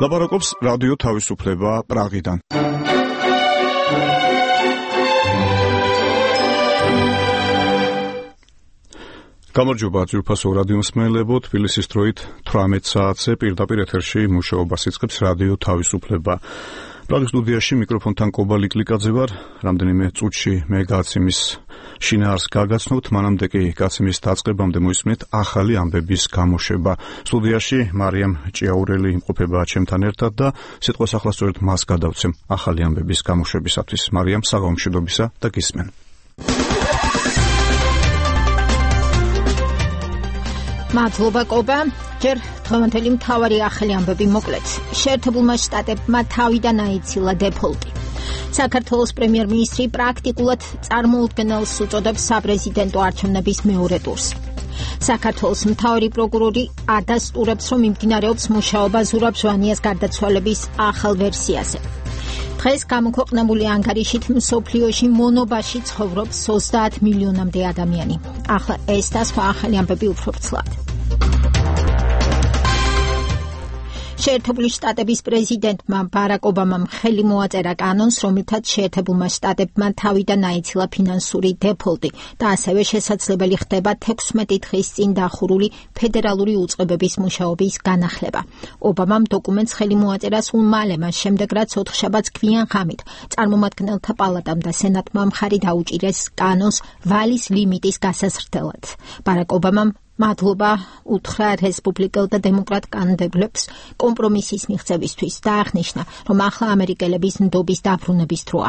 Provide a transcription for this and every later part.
ლაპარაკობს რადიო თავისუფლება პრაღიდან. გამარჯობა ძვირფასო რადიო მსმენელებო, თბილისის დროით 18 საათზე პირდაპირ ეთერში მუშაობას იწყებს რადიო თავისუფლება. პრაღის სტუდიაში მიკროფონთან კობალი კლიკაძე ვარ. რამდენიმე წუთში მე გაციმის შინაარს გაგაცნობთ, მანამდე კი გაციმის დაწყებამდე მოისმენთ ახალი ამბების გამოშვება. სტუდიაში მარიამ ჭიაურელი იმყოფება ჩემთან ერთად და სიტყვას ახლა სწორედ მას გადავცემ ახალი ამბების გამოშვებისათვის. მარიამ, საღამო მშვიდობისა და გისმენ. მადლობა კობა. ჯერ დღევანდელი მთავარი ახალი ამბები მოკლედ. შეერთებულმა შტატებმა თავიდან აიცილა დეფოლტი. საქართველოს პრემიერ-მინისტრი პრაქტიკულად წარმოუდგენელს უწოდებს საპრეზიდენტო არჩევნების მეორე ტურს. საქართველოს მთავარი პროკურორი ადასტურებს, რომ მიმდინარეობს მუშაობა ზურაბ ჟვანიას გარდაცვალების ახალ ვერსიაზე. დღეს გამოქვეყნებული ანგარიშით მსოფლიოში მონობაში ცხოვრობს 30 მილიონამდე ადამიანი. ახლა ეს და სხვა ახალი ამბები უფრო ვრცლად. შეერთებული შტატების პრეზიდენტმა ბარაკ ობამამ ხელი მოაწერა კანონს, რომლითაც შეერთებულმა შტატებმა თავიდან აიცილა ფინანსური დეფოლტი და ასევე შესაძლებელი ხდება 16 დღის წინ დახურული ფედერალური უწყებების მუშაობის განახლება. ობამამ დოკუმენტს ხელი მოაწერა სულ მალე, მას შემდეგ რაც ოთხშაბათს გვიან ღამით წარმომადგენელთა პალატამ და სენატმა მხარი დაუჭირეს კანონს ვალის ლიმიტის გასაზრდელად. ბარაკ ობამამ მადლობა უთხრა რესპუბლიკელ და დემოკრატ კანდიდატებს კომპრომისის მიღწევისთვის და აღნიშნა, რომ ახლა ამერიკელების ნდობის დაბრუნების დროა.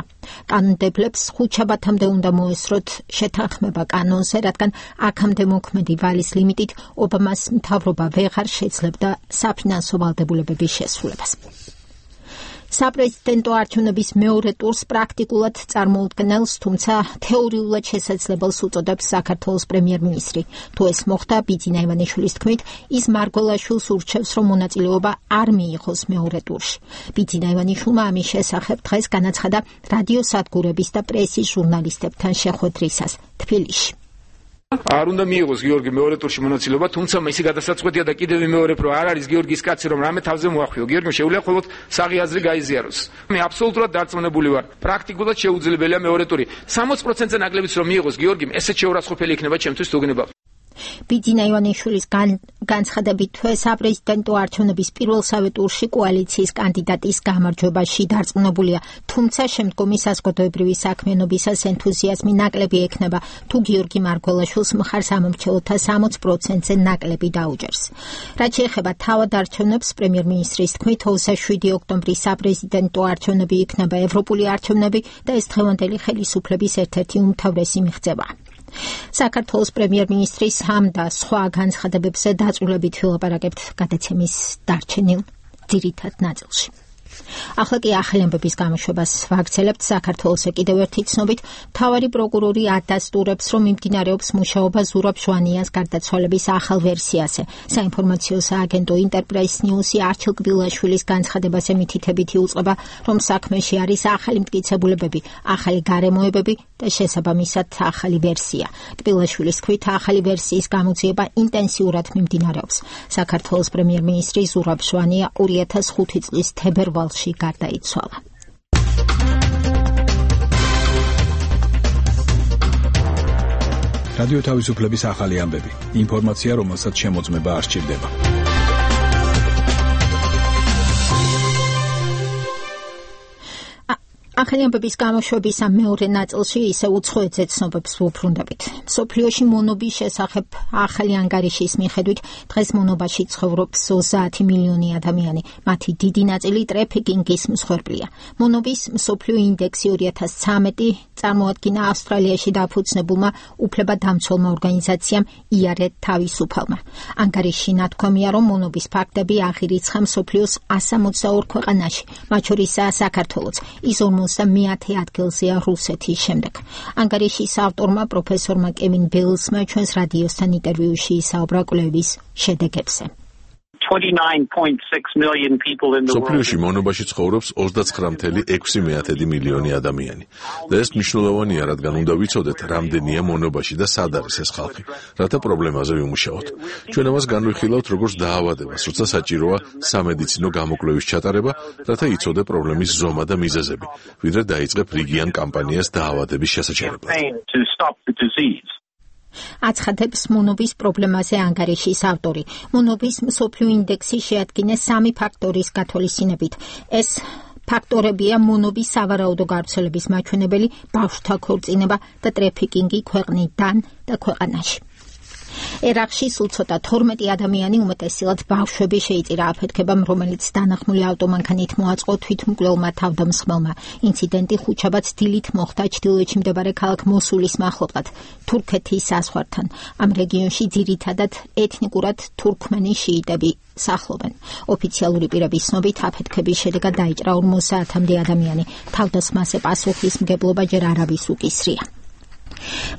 კანდიდატებს ხუთშაბათამდე უნდა მოესწროთ შეთანხმება კანონზე, რადგან აქამდე მოქმედი ვალის ლიმიტით ობამას მთავრობა ვეღარ შეძლებდა საფინანსო ვალდებულებების შესრულებას. საპრეზიდენტო არჩევნების მეორე ტურს პრაქტიკულად წარმოუდგენელს, თუმცა თეორიულად შესაძლებელს უწოდებს საქართველოს პრემიერ-მინისტრი. თუ ეს მოხდა, ბიძინა ივანიშვილის თქმით, ის მარგველაშვილს ურჩევს, რომ მონაწილეობა არ მიიღოს მეორე ტურში. ბიძინა ივანიშვილმა ამის შესახებ დღეს განაცხადა რადიო სადგურების და პრესის ჟურნალისტებთან შეხვედრისას თბილისში. არ უნდა მიიღოს გიორგი მეორე ტურში მონაწილეობა, თუმცა მისი გადასაწყვეტია და კიდევ ვიმეორებ, რომ არ არის გიორგის კაცი, რომ რამე თავზე მოახვიო. გიორგიმ შეუძლია მხოლოდ საღი აზრი გაიზიაროს. მე აბსოლუტურად დარწმუნებული ვარ, პრაქტიკულად შეუძლებელია მეორე ტური. 60%-ზე ნაკლებიც რომ მიიღოს გიორგიმ, ესეც შეურაცხყოფელი იქნება ჩემთვის თუ გნებავ. ბიძინა ივანიშვილის განცხადებით, საპრეზიდენტო არჩევნების პირველსავე ტურში კოალიციის კანდიდატის გამარჯვებაში დარწმუნებულია, თუმცა შემდგომი საზოგადოებრივი საქმიანობისას ენთუზიაზმი ნაკლები ექნება, თუ გიორგი მარგველაშვილს მხარს ამომრჩეველთა 60%-ზე ნაკლები დაუჭერს. რაც შეეხება თავად არჩევნებს, პრემიერ-მინისტრის თქმით, 27 ოქტომბრის საპრეზიდენტო არჩევნები იქნება ევროპული არჩევნები და ეს დღევანდელი ხელისუფლების ერთ-ერთი უმთავრესი მიღწევა. საქართველოს პრემიერ-მინისტრის ამ და სხვა განცხადებებზე დაწვრილებით ვილაპარაკებთ გადაცემის დარჩენილ ძირითად ნაწილში. ახლა კი ახალი ამბების გამოშვებას ვაგრძელებთ. საქართველოს კიდევ ერთი ცნობით, მთავარი პროკურორი ადასტურებს, რომ მიმდინარეობს მუშაობა ზურაბ ჟვანიას გარდაცვალების ახალ ვერსიაზე. საინფორმაციო სააგენტო ინტერპრეს ნიუსი არჩილ კბილაშვილის განცხადებაზე მითითებითი უწყება, რომ საქმეში არის ახალი მტკიცებულებები, ახალი გარემოებები და შესაბამისად ახალი ვერსია. კბილაშვილის თქმით, ახალი ვერსიის გამოძიება ინტენსიურად მიმდინარეობს. საქართველოს პრემიერ-მინისტრი ზურაბ ჟვანია 2005 წლის თებერვალში გარდაიცვალა. რადიო თავისუფლების ახალი ამბები. ინფორმაცია, რომელსაც შემოწმება არ სჭირდება. ახალი ამბების გამოშვების ამ მეორე ნაწილში ისე უცხოეთზე ცნობებს ვუბრუნდებით. მსოფლიოში მონობის შესახებ ახალი ანგარიშის მიხედვით დღეს მონობაში ცხოვრობს 30 მილიონი ადამიანი. მათი დიდი ნაწილი ტრეფიკინგის მსხვერპლია. მონობის მსოფლიო ინდექსი 2013 წარმოადგინა ავსტრალიაში დაფუძნებულმა უფლებადამცველმა ორგანიზაციამ იარეთ თავისუფალმა. ანგარიშში ნათქვამია, რომ მონობის ფაქტები აღირიცხა მსოფლიოს 162 ქვეყანაში, მათ შორისაა საქართველოც. ის 50 ადგილზეა რუსეთის შემდეგ. ანგარიშის ავტორმა პროფესორმა კევინ ბელსმა ჩვენს რადიოსთან ინტერვიუში ისაუბრა კვლევის შედეგებზე. 29.6 million people in the world. სოფლიოში მონობაში ცხოვრობს 29.6 მილიონი ადამიანი. და ეს მნიშვნელოვანია, რადგან უნდა ვიცოდეთ, რამდენია მონობაში და სად არის ეს ხალხი, რათა პრობლემაზე ვიმუშაოთ. ჩვენ ამას განვიხილავთ როგორც დაავადებას, როცა საჭიროა სამედიცინო გამოკვლევის ჩატარება, რათა იცოდე პრობლემის ზომა და მიზეზები, ვიდრე დაიწყებ რიგიან კამპანიას დაავადების შესაჩერებლად. აცხადებს მონობის პრობლემაზე ანგარიშის ავტორი. მონობის მსოფლიო ინდექსი შეადგინეს 3 ფაქტორის გათვალისწინებით. ეს ფაქტორებია მონობის სავარაუდო გავრცელების მაჩვენებელი, ბავშვთა ქორწინება და ტრაფიკინგი ქვეყნიდან და ქვეყანაში. ერაყში სულ ცოტა 12 ადამიანი, უმეტესად ბავშვები შეიწირა აფეთქებამ, რომელიც დანახმული ავტომანქანით მოაწყო თვითმკვლელმა თავდამსხმელმა. ინციდენტი ხუთშაბათს დილით მოხდა ჩრდილოეთში მდებარე ქალაქ მოსულის მახლობლად, თურქეთის საზღვართან. ამ რეგიონში ძირითადად ეთნიკურად თურქმენი შიიტები სახლობენ. ოფიციალური პირების ცნობით აფეთქების შედეგად დაიჭრა 50-მდე ადამიანი. თავდასხმაზე პასუხისმგებლობა ჯერ არავის უკისრია.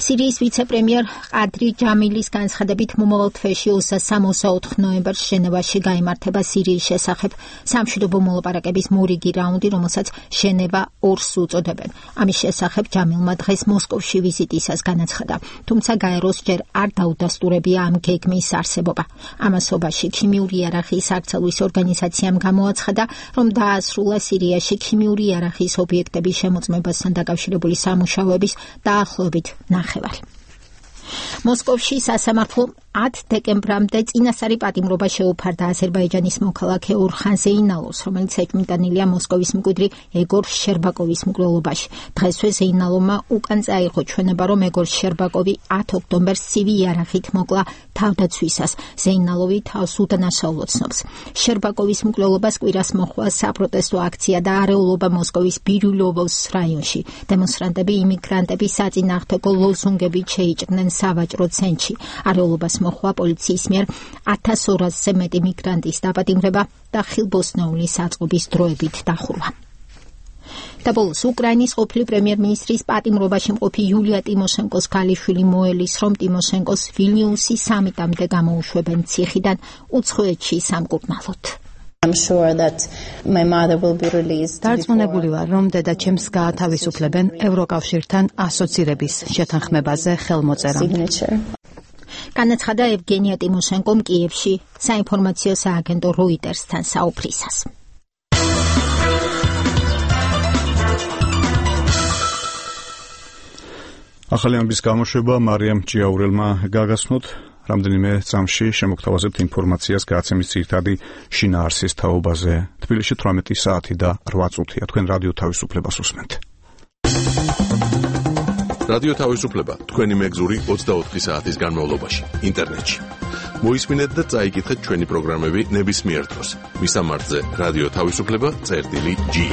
სირიის ვიცე-პრემიერ ყადრი ჯამილის განცხადებით მომავალ თვეში 23-24 ნოემბერს ჟენევაში გაიმართება სირიის შესახებ სამშვიდობო მოლაპარაკების მორიგი რაუნდი, რომელსაც ჟენევა 2-ს უწოდებენ. ამის შესახებ ჯამილმა დღეს მოსკოვში ვიზიტისას განაცხადა, თუმცა გაეროს ჯერ არ დაუდასტურებია ამ გეგმის არსებობა. ამასობაში ქიმიური იარაღის აკრძალვის ორგანიზაციამ გამოაცხადა, რომ დაასრულა სირიაში ქიმიური იარაღის ობიექტების შემოწმებასთან დაკავშირებული სამუშაოების დაახლოებით ნახევარი. მოსკოვში სასამართლო 10 დეკემბრამდე წინასწარი პატიმრობა შეუფარდა აზერბაიჯანის მოქალაქე ორხან ზეინალოვს, რომელიც ეჭვმიტანილია მოსკოვის მკვიდრი ეგორ შერბაკოვის მკვლელობაში. დღესვე ზეინალოვმა უკან წაიღო ჩვენება, რომ ეგორ შერბაკოვი 10 ოქტომბერს ცივი იარაღით მოკლა თავდაცვისას. ზეინალოვი თავს უდანაშაულოდ ცნობს. შერბაკოვის მკვლელობას კვირას მოჰყვა საპროტესტო აქცია და არეულობა მოსკოვის ბირილოვოს რაიონში. დემონსტრანტები იმიგრანტების საწინააღმდეგო ლოზუნგებით შეიჭრნენ სავაჭრო ცენტრში. არეულობას მოხვა პოლიციის მიერ 1200-ზე მეტი მიგრანტის დაპატიმრება და ხილბოსნაულის საწყობის დროებით დახურვა. და ბოლოს უკრაინის ყოფილი პრემიერ-მინისტრის პატიმრობაში მყოფი იულია ტიმოშენკოს ქალიშვილი მოელის, რომ ტიმოშენკოს ვილნიუსის სამიტამდე გამოუშვებენ ციხიდან უცხოეთში სამკურნალოდ. დარწმუნებული ვარ, რომ დედაჩემს გაათავისუფლებენ ევროკავშირთან ასოცირების შეთანხმებაზე ხელმოწერამ. განაცხადა ევგენია ტიმოშენკომ კიევში საინფორმაციო სააგენტო როიტერსთან საუბრისას. ახალი ამბის გამოშვება მარიამ ჭიაურელმა გაგაცნოთ. რამდენიმე წამში შემოგთავაზებთ ინფორმაციას გადაცემის ძირითადი შინაარსის თაობაზე. თბილისში 18 საათი და 8 წუთია. თქვენ რადიო თავისუფლებას უსმენთ. რადიო თავისუფლება თქვენი მეგზური 24 საათის განმავლობაში ინტერნეტში. მოისმინეთ და წაიკითხეთ ჩვენი პროგრამები ნებისმიერ დროს. მისამართზე რადიო თავისუფლება.ge.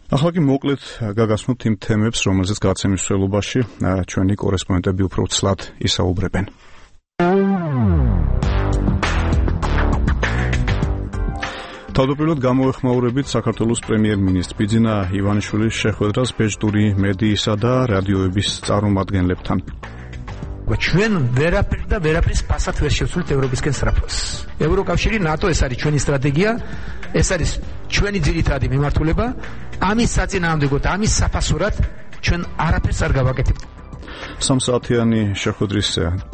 ახლა კი მოკლედ გაგაცნოთ იმ თემებს, რომელზეც გადაცემის მსვლელობაში ჩვენი კორესპონდენტები უფრო ცლად ისაუბრებენ. თავდაპირველად გამოეხმაურებით საქართველოს პრემიერ-მინისტრ ბიძინა ივანიშვილის შეხვედრას ბეჭდური მედიისა და რადიოების წარმომადგენლებთან. ჩვენ ვერაფრის ფასად ვერ შევცვლით ევროპისკენ სწრაფას. ევროკავშირი, ნატო, ეს არის ჩვენი სტრატეგია, ეს არის ჩვენი ძირითადი მიმართულება. ამის საწინააღმდეგოდ, ამის საფასურად ჩვენ არაფერს არ გავაკეთებთ. სამსაათიანი შეხვედრის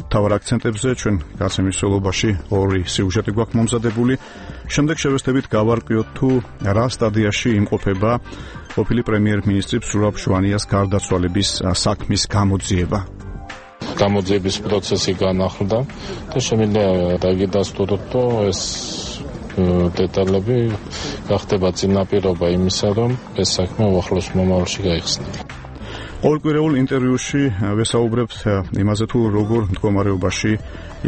მთავარ აქცენტებზე ჩვენ გადაცემის მსვლელობაში 2 სიუჟეტი გვაქვს მომზადებული. შემდეგ შევესწრებით გავარკვიოთ თუ რა სტადიაში იმყოფება ყოფილი პრემიერ-მინისტრი ზურაბ ჟვანიას გარდაცვალების საქმის გამოძიება. გამოძიების პროცესი განახლდა და შემიძლია დაგიდასტუროთ, რომ ეს დეტალები გახდება წინაპირობა იმისა, რომ ეს საქმე უახლოს მომავალში გაიხსნება. ყოველკვირეულ ინტერვიუში ვესაუბრებთ იმაზე, თუ როგორ მდგომარეობაში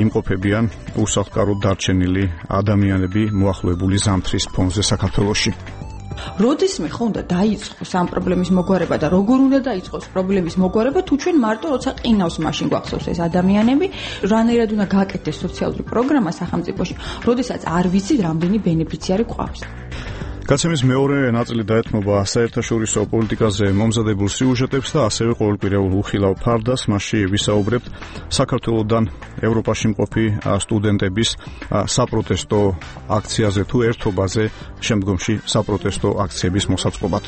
იმყოფებიან უსახლკაროდ დარჩენილი ადამიანები მოახლოებული ზამთრის ფონზე საქართველოში. როდისმე ხო უნდა დაიწყოს ამ პრობლემის მოგვარება და როგორ უნდა დაიწყოს პრობლემის მოგვარება, თუ ჩვენ მარტო როცა ყინავს მაშინ გვახსოვს ეს ადამიანები, რანაირად უნდა გააკეთდეს სოციალური პროგრამა სახელმწიფოში, როდესაც არ ვიცით რამდენი ბენეფიციარი გვყავს. გაცემის მეორე ნაწილი დაეთმობა საერთაშორისო პოლიტიკაზე მომზადებულ სიუჟეტებს და ასევე ყოველკვირეულ უხილავ ფარდას. მასში ვისაუბრებთ საქართველოდან ევროპაში მყოფი სტუდენტების საპროტესტო აქციაზე თუ ერთობაზე, შემდგომში საპროტესტო აქციების მოსაწყობად.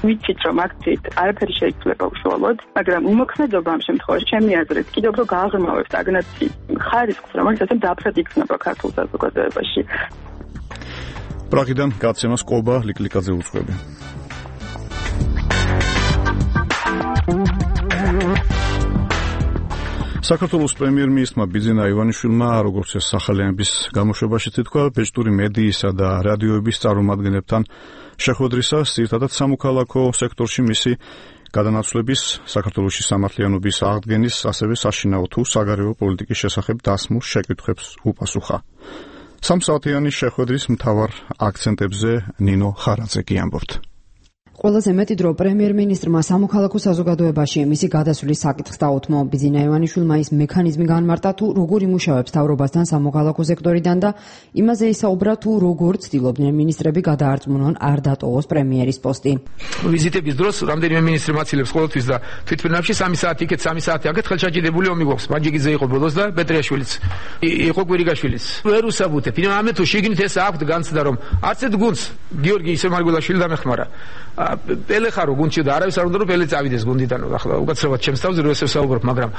ვიცით, რომ აქციით არაფერი შეიძლება უშუალოდ, მაგრამ უმოქმედობა ამ შემთხვევაში ჩემი აზრით კიდევ უფრო გააღრმავებს სტაგნაციის ხარისხს, რომელიც დაფრად იქნება ქართულ საზოგადოებაში. პრაღიდან გაცემას ყობა ლიკლიკაძე უძღვები. საქართველოს პრემიერ-მინისტრმა ბიძინა ივანიშვილმა, როგორც ეს სახალიანების გამოშვებაში თქვა, ბეჭდური მედიისა და რადიოების წარმომადგენლებთან შეხვედრისას, ძირითადად სამოქალაქო სექტორში მისი გადანაცვლების, საქართველოში სამართლიანობის აღდგენის, ასევე საშინაო თუ საგარეო პოლიტიკის შესახებ დასმულ შეკითხვებს უპასუხა. სამსაათიანი შეხვედრის მთავარ აქცენტებზე ნინო ხარაძე გიამბობთ. ყველაზე მეტი დრო პრემიერ-მინისტრმა სამოქალაქო საზოგადოებაში მისი გადასვლის საკითხს დაუთმო. ბიძინა ივანიშვილმა ის მექანიზმი განმარტა, თუ როგორ იმუშავებს მთავრობასთან სამოქალაქო სექტორიდან და იმაზე ისაუბრა, თუ როგორ ცდილობდნენ მინისტრები გადაარწმუნონ არ დატოვოს პრემიერის პოსტი. ვიზიტების დროს რამდენიმე მინისტრი მაცილებს ყოველთვის და თვითმფრინავში 3 საათი იქეთ, 3 საათი აქეთ ხელშაჭიდებული ომი გვაქვს. მანჯიგიძე იყო ბოლოს და პეტრიაშვილიც. იყო კვირიგაშვილიც. ვერ უსაბუთებ. ამე თუ შიგნით ეს აქვთ განცდა, რომ არც ერთ გუნდს გიორგი ისმაგულაშვილი დამეხმარა. პელე ხარო გუნდში და არავის არ უნდა რომ პელე წავიდეს გუნდიდან. ახლა უკაცრავად ჩემს თავზე რო ესე ვსაუბრობ, მაგრამ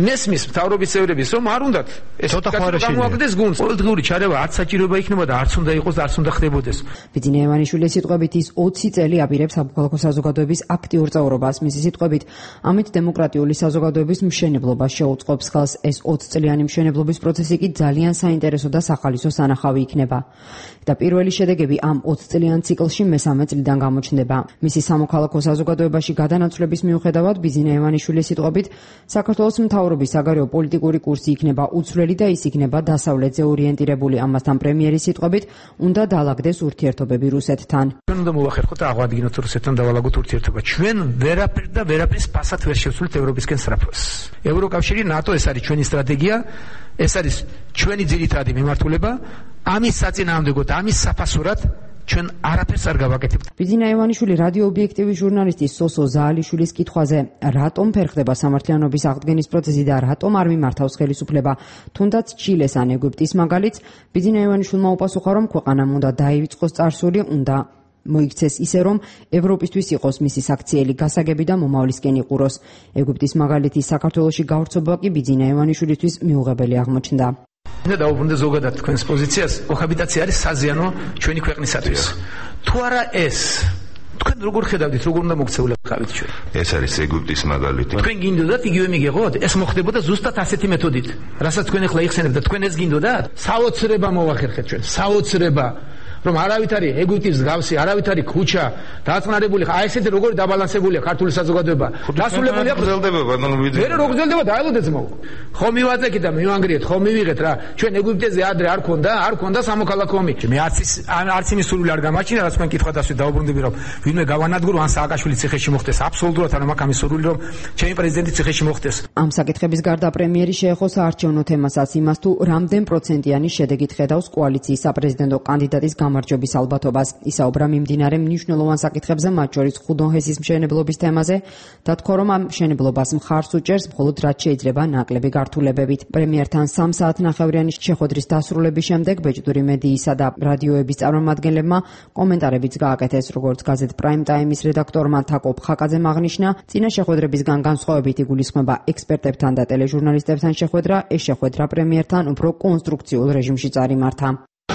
მესმის მთავრობის წევრების რომ არ უნდათ ეს გამოაგდეს გუნდს. ყოველდღიური ჩარევა არც საჭიროება იქნება და არც უნდა იყოს და არც უნდა ხდებოდეს. ბიძინა ივანიშვილის სიტყვებით ის 20 წელი აპირებს სამოქალაქო საზოგადოების აქტიურ წევრობას. მისი სიტყვებით, ამით დემოკრატიული საზოგადოების მშენებლობას შეუწყობს ხელს. ეს 20 წლიანი მშენებლობის პროცესი კი ძალიან საინტერესო და სახალისო სანახავი იქნება. და პირველი შედეგები ამ 20 წლიან ციკლში მესამე წლიდან გამოჩნდება. მისი სამოქალაქო საზოგადოებაში გადანაცვლების მიუხედავად, ბიძინა ივანიშვილის სიტყვებით, საქართველოს მთავრობის საგარეო პოლიტიკური კურსი იქნება უცვლელი და ის იქნება დასავლეთზე ორიენტირებული. ამასთან პრემიერის სიტყვებით, უნდა დაალაგდეს ურთიერთობები რუსეთთან. ჩვენ უნდა მოვახერხოთ და აღვადგინოთ რუსეთთან დავალაგოთ ურთიერთობა. ჩვენ ვერაფერ და ვერაფრის ფასად ვერ შევცვლით ევროპისკენ სწრაფოს. ევროკავშირი, ნატო, ეს არის ჩვენი სტრატეგია, ეს არის ჩვენი ძირითადი მიმართულება. ამის საწინააღმდეგოდ, ამის საფასურად ჩვენ არაფერს არ გავაკეთებთ. ბიძინა ივანიშვილი რადიო ობიექტივის ჟურნალისტის სოსო ზაალიშვილის კითხვაზე, რატომ ფერხდება სამართლიანობის აღდგენის პროცესი და რატომ არ მიმართავს ხელისუფლება, თუნდაც ჩილეს ან ეგვიპტის მაგალითს, ბიძინა ივანიშვილმა უპასუხა, რომ ქვეყანამ უნდა დაივიწყოს წარსული, უნდა მოიქცეს ისე, რომ ევროპისთვის იყოს მისი საქციელი გასაგები და მომავლისკენ იყუროს. ეგვიპტის მაგალითის საქართველოში გავრცობა კი ბიძინა ივანიშვილისთვის მიუღებელი აღმოჩნდა. და დაუბრუნდა ზოგადად თქვენს პოზიციას, კოჰაბიტაცია არის საზიანო ჩვენი ქვეყნისათვის. თუ არა ეს, თქვენ როგორ ხედავდით, როგორ უნდა მოქცეულიყავით ჩვენ? ეს არის ეგვიპტის მაგალითი. თქვენ გინდოდათ იგივე მიგეღოთ? ეს მოხდებოდა ზუსტად ასეთი მეთოდით. რასაც თქვენ ახლა იხსენებთ და თქვენ ეს გინდოდათ? საოცრება მოვახერხეთ ჩვენ, საოცრება. რომ არავით არის ეგვიპტის მსგავსი, არავით არის ქუჩა დაწყნარებული, აი ესეთი როგორი დაბალანსებულია ქართული საზოგადოება. დასრულებულია გრძელდება ბატონო ვიძე. ვერ როგორ გრძელდება დაელოდეთ მოუ. ხო მივაწეკით და მივანგრიეთ, ხო მივიღეთ რა. ჩვენ ეგვიპტეზე ადრე არ ქონდა სამოქალაქო ომი. მე არც იმის სურვილი არ გამაჩნია, რაც თქვენ კითხვა დასვით დაუბრუნდები, რომ ვინმე გავანადგურო ან სააკაშვილი ციხეში მოხდეს. აბსოლუტურად არ მაქვს ამის სურვილი, რომ ჩემი პრეზიდენტი ციხეში მოხდეს. ამ საკითხების გარდა პრემიერი შეეხო საარჩევნო თემასაც, იმას თუ რამდენ პროცენტიანი შედეგით ხედავს კოალიციის საპრეზიდენტო კანდიდატის გამარჯვების ალბათობას. ისაუბრა მიმდინარე მნიშვნელოვან საკითხებზე, მათ შორის ხუდონჰესის მშენებლობის თემაზე და თქვა, რომ ამ მშენებლობას მხარს უჭერს მხოლოდ რაც შეიძლება ნაკლები გართულებებით. პრემიერთან 3 საათნახევრიანი შეხვედრის დასრულების შემდეგ ბეჭდური მედიისა და რადიოების წარმომადგენლებმა კომენტარებიც გააკეთეს, როგორც გაზეთ პრაიმ ტაიმის რედაქტორმა თაკო ფხაკაძემ აღნიშნა, წინა შეხვედრებისგან განსხვავებით იგულისხმება ექსპერტებთან და ტელეჟურნალისტებთან შეხვედრა, ეს შეხვედრა პრემიერთან უფრო კონსტრუქციულ რეჟიმში წარიმართა.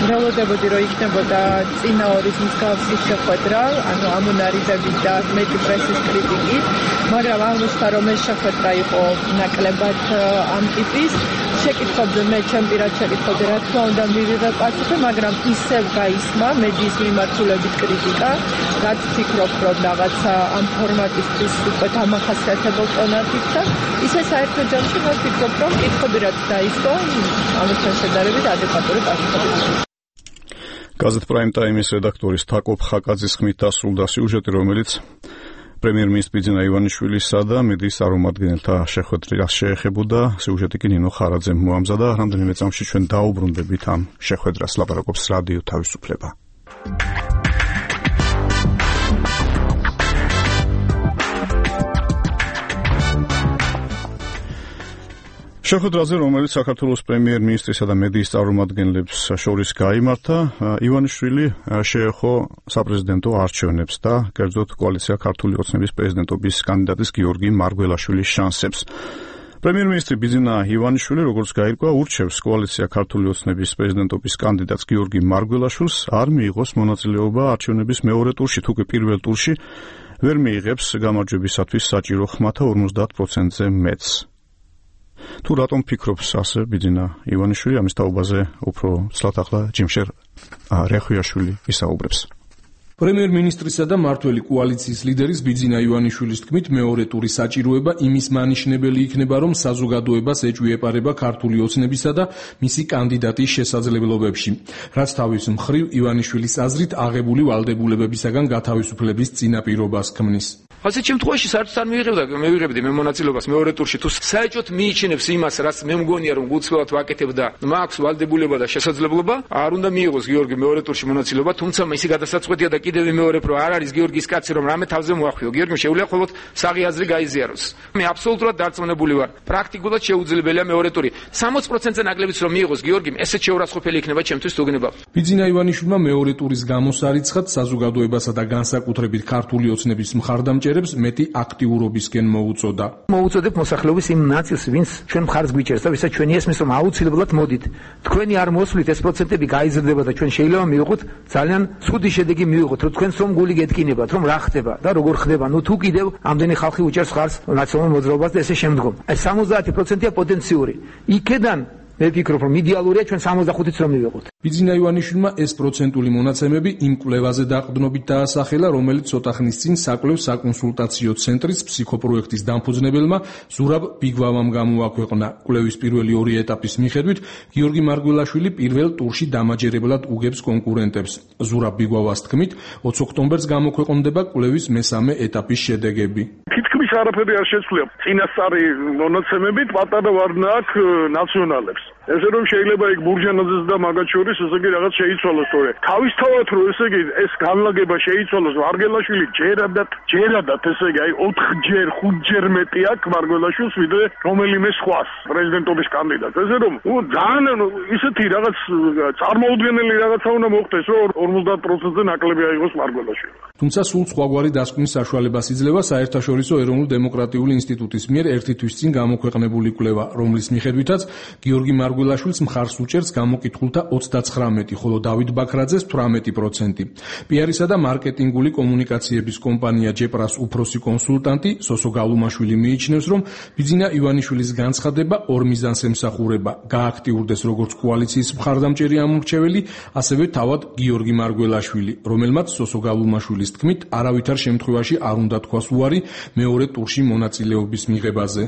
მრავლდებოდი, რომ იქნებოდა წინა ორის მსგავსი შეხვედრა, ანუ ამონარიდებით და მეტი პრესის კრიტიკით, მაგრამ აღმოჩნდა, რომ ეს შეხვედრა იყო ნაკლებად ამ ტიპის. შეკითხვებზე მე ჩემ პირად შეკითხვებზე რა თქმა უნდა მივიღე პასუხი, მაგრამ ისევ გაისმა მედიის მიმართულებით კრიტიკა, რაც ფიქრობ, რომ რაღაცა ამ ფორმატისთვის უკვე დამახასიათებელ ტონებით და ისე საერთო ჯამში მე ვფიქრობ, რომ კითხვები რაც დაისო, ამასთან შედარებით ადეკვატური პასუხი. გაზეთ პრაიმ ტაიმის რედაქტორის თაკო ფხაკაძის ხმით დასრულდა სიუჟეტი, რომელიც პრემიერ-მინისტრი ბიძინა ივანიშვილისა და მედიის წარმომადგენელთა შეხვედრას შეეხებოდა. სიუჟეტი კი ნინო ხარაძემ მოამზადა. რამდენიმე წამში ჩვენ დაუბრუნდებით ამ შეხვედრას, ლაპარაკობს რადიო თავისუფლება. შეხვედრაზე, რომელიც საქართველოს პრემიერ-მინისტრისა და მედიის წარმომადგენლებს შორის გაიმართა, ივანიშვილი შეეხო საპრეზიდენტო არჩევნებს და კერძოდ კოალიცია ქართული ოცნების პრეზიდენტობის კანდიდატის გიორგი მარგველაშვილის შანსებს. პრემიერ-მინისტრი ბიძინა ივანიშვილი, როგორც გაირკვა, ურჩევს კოალიცია ქართული ოცნების პრეზიდენტობის კანდიდატს გიორგი მარგველაშვილს არ მიიღოს მონაწილეობა არჩევნების მეორე ტურში, თუ კი პირველ ტურში ვერ მიიღებს გამარჯვებისათვის საჭირო ხმათა 50%-ზე მეტს. თუ რატომ ფიქრობს ასე ბიძინა ივანიშვილი, ამის თაობაზე უფრო ცლად ახლა ჯიმშერ რეხვიაშვილი ისაუბრებს. პრემიერ-მინისტრისა და მმართველი კოალიციის ლიდერის ბიძინა ივანიშვილის თქმით, მეორე ტურის საჭიროება იმის მანიშნებელი იქნება, რომ საზოგადოებას ეჭვი-ეპარება ქართული ოცნებისა და მისი კანდიდატის შესაძლებლობებში, რაც თავის მხრივ ივანიშვილის აზრით აღებული ვალდებულებებისაგან გათავისუფლების წინაპირობას ქმნის. ასეთ შემთხვევაში საერთოდ არ მივიღებდი მე მონაწილეობას მეორე ტურში, თუ საერთოდ მიიჩნევს იმას, რაც მე მგონია რომ გულწრფელად ვაკეთებ და მაქვს ვალდებულება და შესაძლებლობა, არ უნდა მიიღოს გიორგი მეორე ტურში მონაწილეობა, თუმცა მისი გადასაწყვეტია და კიდევ მეორე პრო არ არის გიორგის კაცი, რომ რამე თავზე მოახვიო. გიორგიმ შეუძლია მხოლოდ საღი აზრი გაიზიაროს. მე აბსოლუტურად დარწმუნებული ვარ, პრაქტიკულად შეუძლებელია მეორე ტური. 60%-ზე ნაკლებიც რომ მიიღოს გიორგიმ, ესეც შეურაცხყოფელი იქნება ჩემთვის თუ გნება. ბიძინა ივანიშვილმა მეორე ტურის გამოსარიცხად საზოგადოებასა და განსაკუთრებით ქართული ოცნების მხარდამჭერებს მეტი აქტიურობისკენ მოუწოდა. მოუწოდებ მოსახლეობის იმ ნაწილს, ვინც ჩვენ მხარს გვიჭერს და ვისაც ჩვენი ესმის, რომ აუცილებლად მოდით. თქვენი არ მოსვლით ეს პროცენტები გაიზრდება და ჩვენ შეიძლება მივიღოთ ძალიან ცუდი შედეგი მივიღოთ, რომ თქვენს რომ გული გეტკინებათ, რომ რა ხდება და როგორ ხდება. ნუ თუ კიდევ ამდენი ხალხი უჭერს ხარს ნაციონალურ მოძრაობას და ესე შემდგომ. ეს 70%-ია პოტენციური. იქედან მე ვფიქრობ, რომ იდეალურია ჩვენ 65-იც რომ მივიღოთ. ბიძინა ივანიშვილმა ეს პროცენტული მონაცემები იმ კვლევაზე დაყრდნობით დაასახელა, რომელიც ცოტა ხნის წინ საკვლევ საკონსულტაციო ცენტრის ფსიქოპროექტის დამფუძნებელმა ზურაბ ბიგვავამ გამოაქვეყნა. კვლევის პირველი ორი ეტაპის მიხედვით გიორგი მარგველაშვილი პირველ ტურში დამაჯერებლად უგებს კონკურენტებს. ზურაბ ბიგვავას თქმით, 20 ოქტომბერს გამოქვეყნდება კვლევის მესამე ეტაპის შედეგები. თითქმის არაფერი არ შეცვლია წინასწარი მონაცემებით, პატარა ვარნა აქვს ნაციონალებს. ესე რომ შეიძლება იქ ბურჟანაძეს და მაგათ შორის ესე იგი რაღაც შეიცვალოს, თორე თავისთავად რომ ესე იგი ეს განლაგება შეიცვალოს, მარგველაშვილი ჯერადად ესე იგი 4ჯერ 5ჯერ მეტი აქვს მარგველაშვილს ვიდრე რომელიმე სხვას პრეზიდენტობის კანდიდატს. ესე რომ ძალიან ისეთი რაღაც წარმოუდგენელი რაღაცა უნდა მოხდეს, რომ 50%-ზე ნაკლები აიღოს მარგველაშვილი. თუმცა სულ სხვაგვარი დასკვნის საშუალებას იძლევა საერთაშორისო ეროვნულ დემოკრატიული ინსტიტუტის მიერ ერთი თვის წინ გამოქვეყნებული კვლევა, რომლის მიხედვითაც გიორგი მარგველაშვილს მხარს უჭერს გამოკითხულთა 39, ხოლო დავით ბაქრაძეს 18%. პიარისა და მარკეტინგული კომუნიკაციების კომპანია ჯეპრას უფროსი კონსულტანტი სოსო გალუმაშვილი მიიჩნევს, რომ ბიძინა ივანიშვილის განცხადება ორ მიზანს ემსახურება: გააქტიურდეს როგორც კოალიციის მხარდამჭერი ამორჩეველი, ასევე თავად გიორგი მარგველაშვილი, რომელმაც სოსო გალუმაშვილის თქმით, არავითარ შემთხვევაში არ უნდა თქვას უარი მეორე ტურში მონაწილეობის მიღებაზე.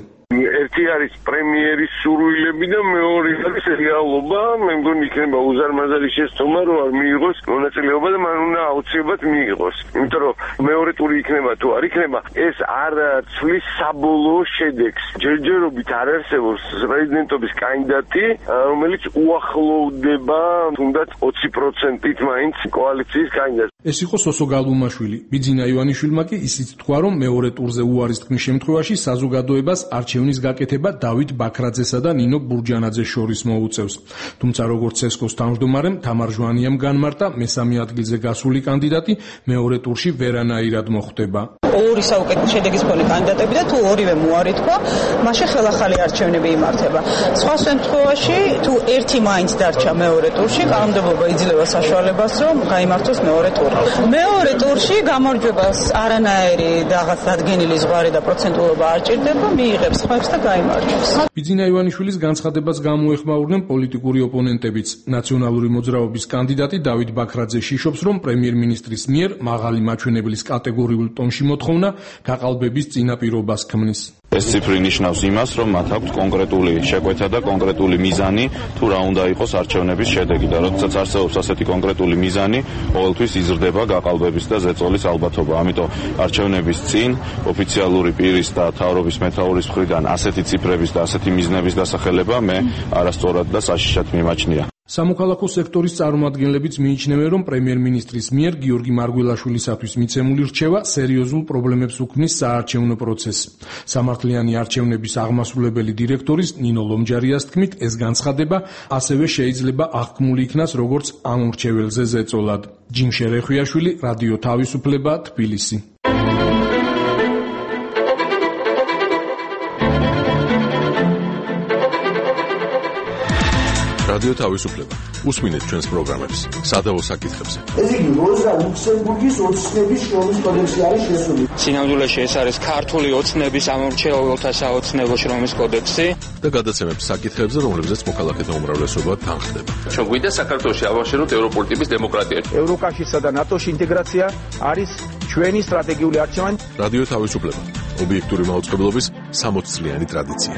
ერთი არის პრემიერის სურვილები და მეორე არის რეალობა. მე მგონი იქნება უზარმაზარი შეცდომა, რომ არ მიიღოს მონაწილეობა და მან უნდა აუცილებლად მიიღოს. იმიტომ რომ მეორე ტური იქნება თუ არ იქნება, ეს არ ცვლის საბოლოო შედეგს. ჯერჯერობით არ არსებობს პრეზიდენტობის კანდიდატი, რომელიც უახლოვდება თუნდაც 20%-ით მაინც კოალიციის კანდიდატს. ეს იყო სოსო გალუმაშვილი. ბიძინა ივანიშვილმა კი ისიც თქვა, რომ მეორე ტურზე უარის თქმის შემთხვევაში საზოგადოებას არჩევნის გაკეთება დავით ბაქრაძესა და ნინო ბურჯანაძეს შორის მოუწევს. თუმცა როგორც ცესკოს თავმჯდომარემ თამარ ჟვანიამ განმარტა, მესამე ადგილზე გასული კანდიდატი მეორე ტურში ვერანაირად მოხვდება. ორი საუკეთესო შედეგის მქონე კანდიდატები და თუ ორივე მოარი თქვა, მაშინ ხელახალი არჩევნები იმართება. სხვა შემთხვევაში თუ ერთი მაინც დარჩა მეორე ტურში, კანონმდებლობა იძლევა საშუალებას, რომ გაიმართოს მეორე ტური. მეორე ტურში გამარჯვებას არანაირი რაღაც დადგენილი ზღვარი და პროცენტულობა არ ჭირდება, მიიღებს ხმებს და გაიმარჯვებს. ბიძინა ივანიშვილის განცხადებას გამოეხმაურნენ პოლიტიკური ოპონენტებიც. ნაციონალური მოძრაობის კანდიდატი დავით ბაქრაძე შიშობს, რომ პრემიერ-მინისტრის მიერ მაღალი მაჩვენებლის კატეგორიულ ტონში მოთხოვნა გაყალბების წინაპირობას ქმნის. ეს ციფრი ნიშნავს იმას, რომ მათ აქვს კონკრეტული შეკვეთა და კონკრეტული მიზანი, თუ რა უნდა იყოს არჩევნების შედეგი და როდესაც არსებობს ასეთი კონკრეტული მიზანი, ყოველთვის იზრდება გაყალბების და ზეწოლის ალბათობა. ამიტომ არჩევნების წინ ოფიციალური პირის და მთავრობის მეთაურის მხრიდან ასეთი ციფრების და ასეთი მიზნების დასახელება მე არასწორად და საშიშად მიმაჩნია. სამოქალაქო სექტორის წარმომადგენლებიც მიიჩნევენ, რომ პრემიერ-მინისტრის მიერ გიორგი მარგველაშვილისათვის მიცემული რჩევა სერიოზულ პრობლემებს უქმნის საარჩევნო პროცესს. სამართლიანი არჩევნების აღმასრულებელი დირექტორის ნინო ლომჯარიას თქმით, ეს განცხადება ასევე შეიძლება აღქმული იქნას როგორც ამ მრჩეველზე ზეწოლად. ჯიმშე რეხვიაშვილი, რადიო თავისუფლება, თბილისი. რადიო თავისუფლება. უსმინეთ ჩვენს პროგრამებს სადავო საკითხებზე. ეს იგი როზა ლუქსემბურგის ოცნების შრომის კოდექსი არის შესული. სინამდვილეში ეს არის ქართული ოცნების ამორჩეულთა საოცნებო შრომის კოდექსი და გადაცემებს საკითხებზე, რომლებზეც მოქალაქეთა უმრავლესობა თანხდება. ჩვენ გვინდა საქართველოში ავაშენოთ ევროპული ტიპის დემოკრატია. ევროკავშირსა და ნატოში ინტეგრაცია არის ჩვენი სტრატეგიული არჩევანი. რადიო თავისუფლება. ობიექტური მაუწყებლობის 60 წლიანი ტრადიცია.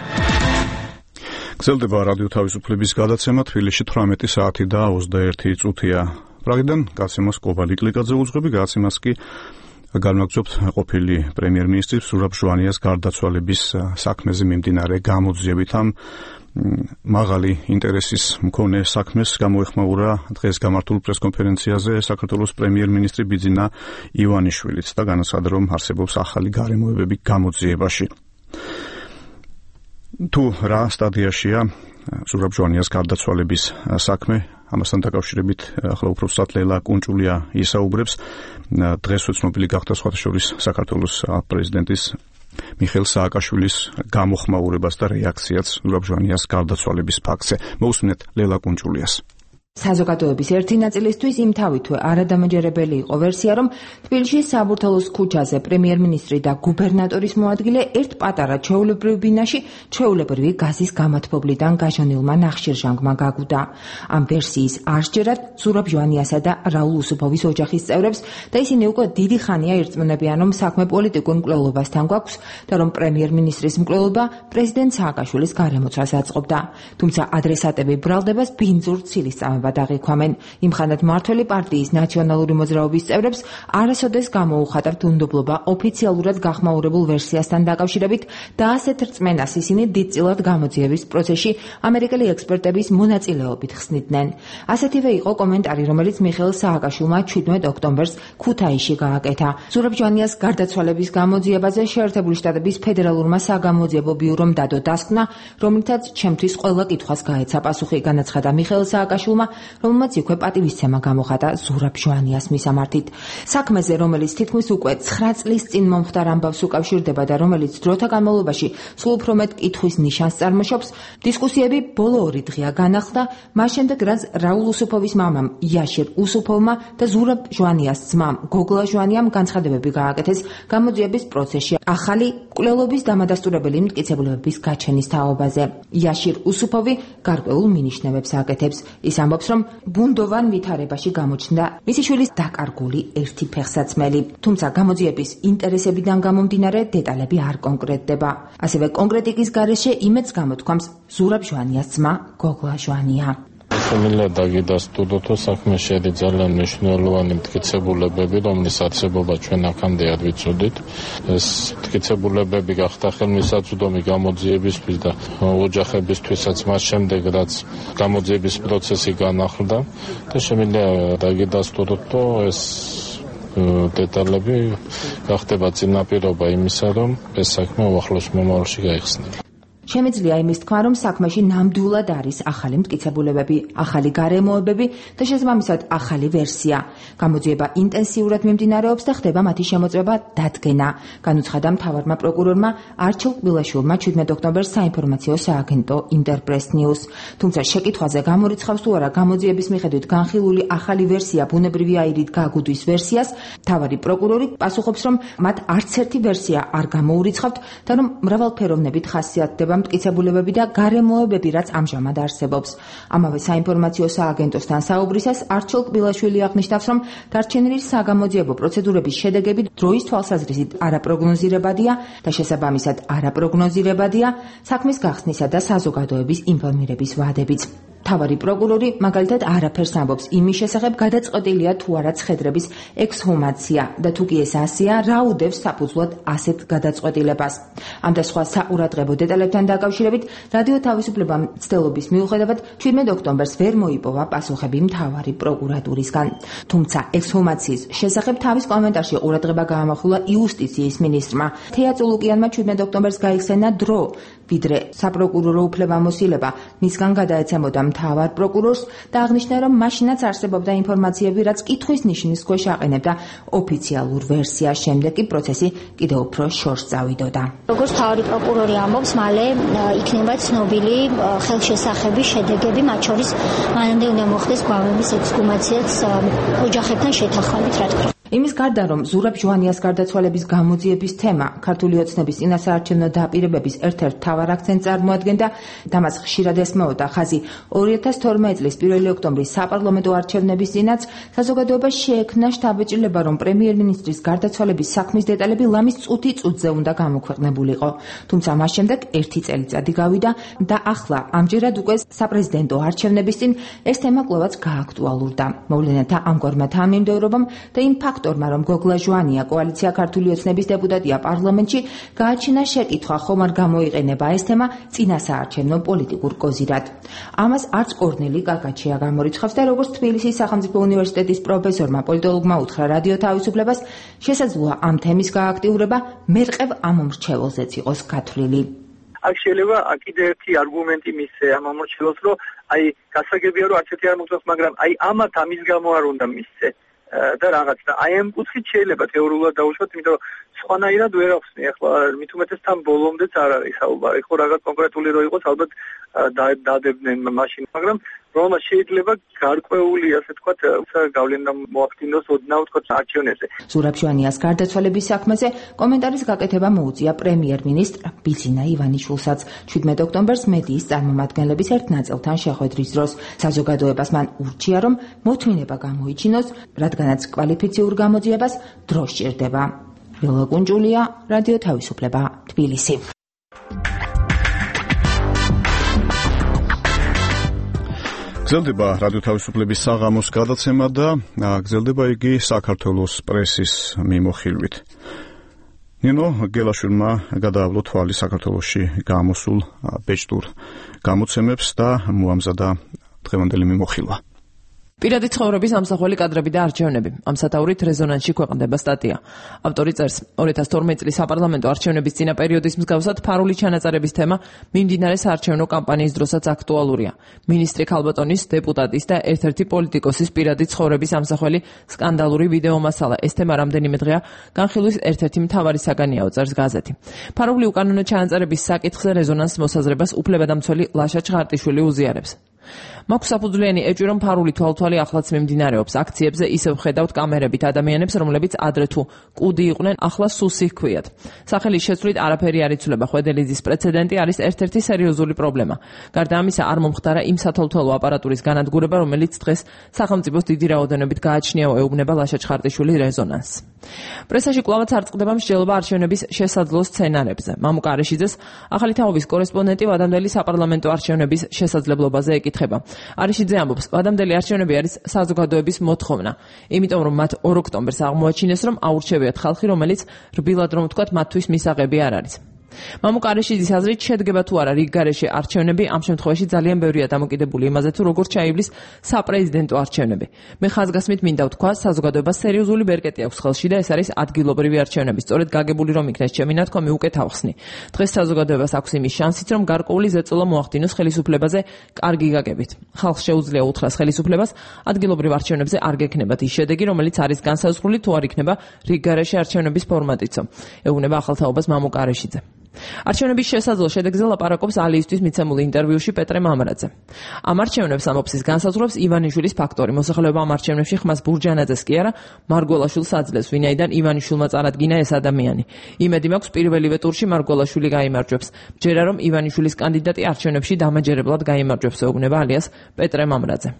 გრძელდება რადიო თავისუფლების გადაცემა თბილისში 18 საათი და 21 წუთია. პრაღიდან გაცემას კობალი კლიკაძე უძღვები, გადაცემას კი განვაგრძობთ ყოფილი პრემიერ-მინისტრის ზურაბ ჟვანიას გარდაცვალების საქმეზე მიმდინარე გამოძიებით. ამ მაღალი ინტერესის მქონე საქმეს გამოეხმაურა დღეს გამართულ პრესკონფერენციაზე საქართველოს პრემიერ-მინისტრი ბიძინა ივანიშვილიც და განაცხადა, რომ არსებობს ახალი გარემოებები გამოძიებაში. თუ რა სტადიაშია ზურაბ ჟვანიას გარდაცვალების საქმე, ამასთან დაკავშირებით ახლა უფრო სწრაფად ლელა კუნჭულია ისაუბრებს. დღეს ცნობილი გახდა სხვათა შორის საქართველოს პრეზიდენტის მიხეილ სააკაშვილის გამოხმაურებას და რეაქციაც ზურაბ ჟვანიას გარდაცვალების ფაქტზე. მოусმინეთ ლელა კუნჭულიას. საზოგადოების ერთი ნაწილისთვის იმ თავითვე არადამაჯერებელი იყო ვერსია, რომ თბილისის საბურთალოს ქუჩაზე პრემიერ-მინისტრი და გუბერნატორის მოადგილე ერთ პატარა ჩვეულებრივ ბინაში ჩვეულებრივი გაზის გამათბობლიდან გაჟონილმა ნახშირჟანგმა გაგუდა. ამ ვერსიის არსჯერად ზურაბ ჟვანიასა და რაულ უსუფოვის ოჯახის წევრებს და ისინი უკვე დიდი ხანია ირწმუნებიან, რომ საქმე პოლიტიკურ მკვლელობასთან გვაქვს და რომ პრემიერ-მინისტრის მკვლელობა პრეზიდენტ სააკაშვილის გარემოცვას აწყობდა. თუმცა ადრესატები ბრალდებას ბინძურ ცილისწამებად აღიქვამენ. იმხანად მმართველი პარტიის ნაციონალური მოძრაობის წევრებს არასოდეს გამოუხატავთ უნდობლობა ოფიციალურად გახმაურებულ ვერსიასთან დაკავშირებით და ასეთ რწმენას ისინი დიდწილად გამოძიების პროცესში ამერიკელი ექსპერტების მონაწილეობით ხსნიდნენ. ასეთივე იყო კომენტარი, რომელიც მიხეილ სააკაშვილმა 17 ოქტომბერს ქუთაისში გააკეთა. ზურაბ ჟვანიას გარდაცვალების გამოძიებაზე შეერთებული შტატების ფედერალურმა საგამოძიებო ბიურომ დადო დასკვნა, რომლითაც ჩემთვის ყველა კითხვას გაეცა პასუხი, განაცხადა მიხეილ სააკაშვილმა, რომელმაც იქვე პატივისცემა გამოხატა ზურაბ ჟვანიას მისამართით. საქმეზე, რომელიც თითქმის უკვე 9 წლის წინ მომხდარ ამბავს უკავშირდება და რომელიც დროთა განმავლობაში სულ უფრო მეტ კითხვის ნიშანს წარმოშობს, დისკუსიები ბოლო 2 დღეა განახლდა, მას შემდეგ რაც რაულ უსუფოვის მამამ იაშირ უსუფოვმა და ზურაბ ჟვანიას ძმამ გოგლა ჟვანიამ განცხადებები გააკეთეს გამოძიების პროცესში ახალი მკვლელობის დამადასტურებელი მტკიცებულებების გაჩენის თაობაზე. იაშირ უსუფოვი გარკვეულ მინიშნებებს აკეთებს. ის ამბობს, რომ ბუნდოვან ვითარებაში გამოჩნდა მისი შვილის დაკარგული ერთი ფეხსაცმელი. თუმცა გამოძიების ინტერესებიდან გამომდინარე დეტალები არ კონკრეტდება. ასევე კონკრეტიკის გარეშე იმედს გამოთქვამს ზურაბ ჟვანიას ძმა გოგლა ჟვანია. შემიძლია დაგიდასტუროთ, რომ საქმე შედი ძალიან მნიშვნელოვანი მტკიცებულებები, რომლის არსებობა ჩვენ აქამდე არ ვიცოდით. ეს მტკიცებულებები გახდა ხელმისაწვდომი გამოძიებისთვის და ოჯახებისთვისაც მას შემდეგ, რაც გამოძიების პროცესი განახლდა და შემიძლია დაგიდასტუროთ, რომ ეს დეტალები გახდება წინაპირობა იმისა, რომ ეს საქმე უახლოს მომავალში გაიხსნება. შემიძლია იმის თქვა, რომ საქმეში ნამდვილად არის ახალი მტკიცებულებები, ახალი გარემოებები და შესაბამისად ახალი ვერსია. გამოძიება ინტენსიურად მიმდინარეობს და ხდება მათი შემოწმება დადგენა. განუცხადა მთავარმა პროკურორმა არჩილ კბილაშვილმა 17 ოქტომბერს საინფორმაციო სააგენტო ინტერპრეს ნიუს. თუმცა შეკითხვაზე გამორიცხავს თუ არა გამოძიების მიხედვით განხილული ახალი ვერსია ბუნებრივი აირით გაგუდვის ვერსიას, მთავარი პროკურორი პასუხობს, რომ მათ არც ერთი ვერსია არ გამოურიცხავთ და რომ მრავალფეროვნებით ხასიათდება მტკიცებულებები და გარემოებები, რაც ამჟამად არსებობს. ამავე საინფორმაციო სააგენტოსთან საუბრისას არჩილ კბილაშვილი აღნიშნავს, რომ დარჩენილი საგამოძიებო პროცედურების შედეგები დროის თვალსაზრისით არაპროგნოზირებადია და შესაბამისად არაპროგნოზირებადია საქმის გახსნისა და საზოგადოების ინფორმირების ვადებიც. თავარი პროკურორი მაგალითად არაფერს ამბობს იმის შესახებ, გადაწყვეტილია თუ არა ცხედრების ექსჰუმაცია და თუ კი ეს ასეა, რა უდევს საფუძვლად ასეთ გადაწყვეტილებას. ამ და სხვა საყურადღებო დეტალებთან დაკავშირებით რადიო თავისუფლებამ მცდელობის მიუხედავად 17 ოქტომბერს ვერ მოიპოვა პასუხები მთავარი პროკურატურისგან. თუმცა ექსჰუმაციის შესახებ თავის კომენტარში ყურადღება გაამახვილა იუსტიციის მინისტრმა. თეა წულუკიანმა 17 ოქტომბერს გაიხსენა დრო, ვიდრე საპროკურორო უფლებამოსილება მისგან გადაეცემოდა მთავარ პროკურორს და აღნიშნა, რომ მაშინაც არსებობდა ინფორმაციები, რაც კითხვის ნიშნის ქვეშ აყენებდა ოფიციალურ ვერსიას, შემდეგ კი პროცესი კიდევ უფრო შორს წავიდოდა. როგორც მთავარი პროკურორი ამბობს, მალე იქნება ცნობილი ხელშესახების შედეგები, მათ შორის მანამდე უნდა მოხდეს გვამების ექსჰუმაციაც ოჯახებთან შეთანხმებით, რა თქმა უნდა. იმის გარდა, რომ ზურაბ ჟვანიას გარდაცვალების გამოძიების თემა ქართული ოცნების წინასაარჩევნო დაპირებების ერთ-ერთ მთავარ აქცენტს წარმოადგენდა და მას ხშირად ესმეოდა ხაზი 2012 წლის 1 ოქტომბრის საპარლამენტო არჩევნების წინაც საზოგადოებას შეექმნა შთაბეჭდილება, რომ პრემიერ-მინისტრის გარდაცვალების საქმის დეტალები ლამის წუთი წუთზე უნდა გამოქვეყნებულიყო. თუმცა მას შემდეგ ერთი წელიწადი გავიდა და ახლა ამჯერად უკვე საპრეზიდენტო არჩევნების წინ ეს თემა კვლავაც გააქტუალურდა. მოვლენათა ამგვარმა თანმიმდევრობამ და იმ ფაქტორმა, რომ გოგლა ჟვანია კოალიცია ქართული ოცნების დეპუტატია პარლამენტში, გააჩინა შეკითხვა, ხომ არ გამოიყენება ეს თემა წინასაარჩევნო პოლიტიკურ კოზირად. ამას არც კორნელი კაკაჩია გამორიცხავს და როგორც თბილისის სახელმწიფო უნივერსიტეტის პროფესორმა პოლიტოლოგმა უთხრა რადიო თავისუფლებას, შესაძლოა ამ თემის გააქტიურება მერყევ ამომრჩეველზეც იყოს გათვლილი. აქ შეიძლება კიდევ ერთი არგუმენტი მისცე ამ ამორჩეველს, რომ გასაგებია, რომ არც ერთი არ მოხდეს, მაგრამ ამათ ამის გამო არ უნდა მისცე. და რაღაც და ამ კუთხით შეიძლება თეორიულად დაუშვათ, იმიტომ რომ სხვანაირად ვერ ახსნი. ახლა მით უმეტეს თან ბოლომდეც არ არის საუბარი. ხო რაღაც კონკრეტული რო იყოს, ალბათ დადებდნენ მაშინ, მაგრამ რომელმაც შეიძლება გარკვეული, ასე ვთქვათ, გავლენა მოახდინოს ოდნავ ვთქვათ არჩევნებზე. ზურაბ ჟვანიას გარდაცვალების საქმეზე კომენტარის გაკეთება მოუწია პრემიერ-მინისტრ ბიძინა ივანიშვილსაც 17 ოქტომბერს მედიის წარმომადგენლების ერთ ნაწილთან შეხვედრის დროს. საზოგადოებას მან ურჩია, რომ მოთმინება გამოიჩინოს, რადგანაც კვალიფიციურ გამოძიებას დრო სჭირდება. ვილა კუნჯულია, რადიო თავისუფლება, თბილისი. გრძელდება რადიო თავისუფლების საღამოს გადაცემა და გრძელდება იგი საქართველოს პრესის მიმოხილვით. ნინო გელაშვილმა გადაავლო თვალი საქართველოში გამოსულ ბეჭდურ გამოცემებს და მოამზადა დღევანდელი მიმოხილვა. პირადი ცხოვრების ამსახველი კადრები და არჩევნები. ამ სათაურით რეზონანსში ქვეყნდება სტატია. ავტორი წერს, 2012 წლის საპარლამენტო არჩევნების წინა პერიოდის მსგავსად ფარული ჩანაწერების თემა მიმდინარე საარჩევნო კამპანიის დროსაც აქტუალურია. მინისტრი ქალბატონის, დეპუტატის და ერთ-ერთი პოლიტიკოსის პირადი ცხოვრების ამსახველი სკანდალური ვიდეო მასალა. ეს თემა რამდენიმე დღეა განხილვის ერთ-ერთი მთავარი საგანია, წერს გაზეთი. ფარული უკანონო ჩანაწერების საკითხზე რეზონანს მოსაზრებას უფლებადამცველი ლაშა ჩხარტიშვილი უზიარებს. მაქვს საფუძვლიანი ეჭვი, რომ ფარული თვალთვალი ახლაც მიმდინარეობს. აქციებზე ისევ ხედავთ კამერებით ადამიანებს, რომლებიც ადრე თუ კუდი იყვნენ, ახლა სუსი ჰქვიათ. სახელის შეცვლით არაფერი არ იცვლება. ხვედელიძის პრეცედენტი არის ერთ-ერთი სერიოზული პრობლემა. გარდა ამისა, არ მომხდარა იმ სათვალთვალო აპარატურის განადგურება, რომელიც დღეს სახელმწიფოს დიდი რაოდენობით გააჩნიაო, ეუბნება ლაშა ჩხარტიშვილი რეზონანსს. პრესაში კვლავაც არ წყდება მსჯელობა არჩევნების შესაძლო სცენარებზე. მამუკა არეშიძეს ახალი თაობის კორესპონდენტი ვადამდელი საპარლამენტო არჩევნების შესაძლებლობაზე ეკითხება. არეშიძე ამბობს, ვადამდელი არჩევნები არის საზოგადოების მოთხოვნა, იმიტომ რომ მათ 2 ოქტომბერს აღმოაჩინეს, რომ აურჩევიათ ხალხი, რომელიც რბილად რომ ვთქვათ, მათთვის მისაღები არ არის. მამუკა არეშიძის აზრით, შედგება თუ არა რიგ გარეშე არჩევნები, ამ შემთხვევაში ძალიან ბევრია დამოკიდებული იმაზე, თუ როგორ ჩაივლის საპრეზიდენტო არჩევნები. მე ხაზგასმით მინდა ვთქვა, საზოგადოებას სერიოზული ბერკეტი აქვს ხელში და ეს არის ადგილობრივი არჩევნები. სწორედ გაგებული რომ იქნეს ჩემი ნათქვამი უკეთ ავხსნი. დღეს საზოგადოებას აქვს იმის შანსიც, რომ გარკვეული ზეწოლა მოახდინოს ხელისუფლებაზე კარგი გაგებით. ხალხს შეუძლია უთხრას ხელისუფლებას, ადგილობრივ არჩევნებზე არ გექნებათ ის შედეგი, რომელიც არის განსაზღვრული, თუ არ იქნება რიგ გარეშე არჩევნების ფორმატიცო. ეუბნება ახალთაობას მამუკა არეშიძე. არჩევნების შესაძლო შედეგზე ლაპარაკობს ალიისთვის მიცემულ ინტერვიუში პეტრე მამრაძე. ამ არჩევნებს ამბობს განსაზღვრებს ივანიშვილის ფაქტორი. მოსახლეობა ამ არჩევნებში ხმას ბურჯანაძეს კი არა, მარგველაშვილს აძლევს, ვინაიდან ივანიშვილმა წარადგინა ეს ადამიანი. იმედი მაქვს პირველივე ტურში მარგველაშვილი გაიმარჯვებს. მჯერა რომ ივანიშვილის კანდიდატი არჩევნებში დამაჯერებლად გაიმარჯვებს, ეუბნება ალიას პეტრე მამრაძე.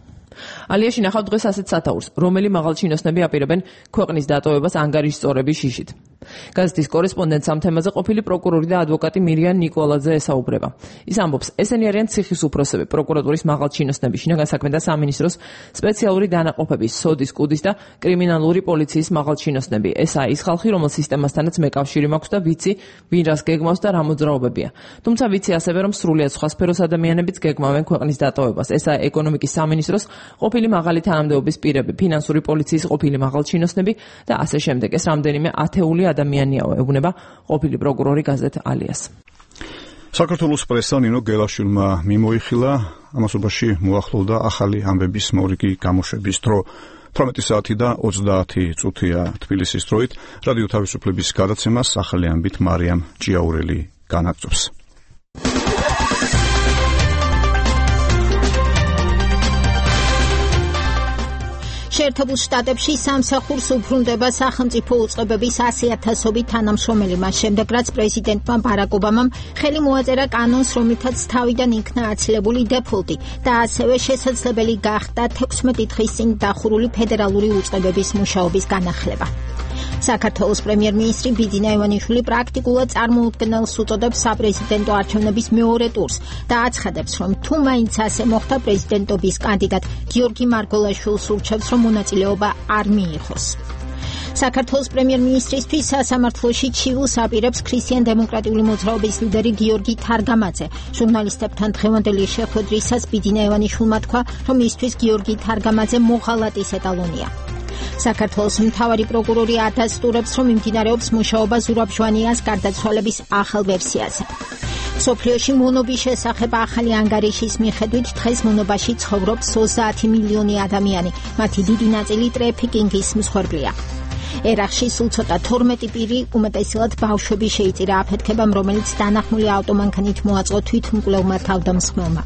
ალიაში ნახავთ დღეს ასეთ სათაურს, რომელი მაღალჩინოსნები აპირებენ ქვეყნის დატოვებას ანგარიშსწორების შიშით. გაზეთის კორესპონდენტს ამ თემაზე ყოფილი პროკურორი და ადვოკატი მირიან ნიკოლაძე ესაუბრება. ის ამბობს, ესენი არიან ციხის უფროსები, პროკურატურის მაღალჩინოსნები, შინაგან საქმეთა სამინისტროს სპეციალური დანაყოფების, სოდის, კუდის და კრიმინალური პოლიციის მაღალჩინოსნები. ესაა ის ხალხი, რომელ სისტემასთანაც მეკავშირი მაქვს და ვიცი, ვინ რას გეგმავს და რა მოძრაობებია. თუმცა ვიცი ასევე, რომ სრულიად სხვა სფეროს ადამიანებიც გეგმავენ ქვეყნის დატოვებას. ესაა ეკონომიკის სამინისტროს ყოფილი მაღალი თანამდებობის პირები, ფინანსური პოლიციის ყოფილი მაღალჩინოსნები და ასე შემდეგ. ეს რამდენიმე ათეული ადამიანიაო, ეუბნება ყოფილი პროკურორი გაზეთ ალიას. საქართველოს პრესა ნინო გელაშვილმა მიმოიხილა, ამასობაში მოახლოვდა ახალი ამბების მორიგი გამოშვების დრო. 18 საათი და 30 წუთია თბილისის დროით. რადიო თავისუფლების გადაცემას ახალი ამბით მარიამ ჭიაურელი განაგრძობს. შეერთებულ შტატებში სამსახურს უბრუნდება სახელმწიფო უწყებების 100,000-ობით თანამშრომელი მას შემდეგ, რაც პრეზიდენტმა ბარაკ ობამამ ხელი მოაწერა კანონს, რომლითაც თავიდან იქნა აცილებული დეფოლტი და ასევე შესაძლებელი გახდა 16 დღის წინ დახურული ფედერალური უწყებების მუშაობის განახლება. საქართველოს პრემიერ-მინისტრი ბიძინა ივანიშვილი პრაქტიკულად წარმოუდგენელს უწოდებს საპრეზიდენტო არჩევნების მეორე ტურს და აცხადებს, რომ თუ მაინც ასე მოხდა, პრეზიდენტობის კანდიდატ გიორგი მარგველაშვილს ურჩევს, რომ მონაწილეობა არ მიიღოს. საქართველოს პრემიერ-მინისტრისთვის სასამართლოში ჩივილს აპირებს ქრისტიან-დემოკრატიული მოძრაობის ლიდერი გიორგი თარგამაძე. ჟურნალისტებთან დღევანდელი შეხვედრისას ბიძინა ივანიშვილმა თქვა, რომ მისთვის გიორგი თარგამაძე მოღალატის ეტალონია. საქართველოს მთავარი პროკურორი ადასტურებს, რომ მიმდინარეობს მუშაობა ზურაბ ჟვანიას გარდაცვალების ახალ ვერსიაზე. სოფლიოში მონობის შესახებ ახალი ანგარიშის მიხედვით დღეს მონობაში ცხოვრობს 30 მილიონი ადამიანი, მათი დიდი ნაწილი ტრეფიკინგის მსხვერპლია. ერახში სულ ცოტა 12 პირი, უმეტესად ბავშვები შეიწირა აფეთქებამ, რომელიც დანახმული ავტომანქანით მოაწყო თვითმკვლელმა თავდამსხმელმა.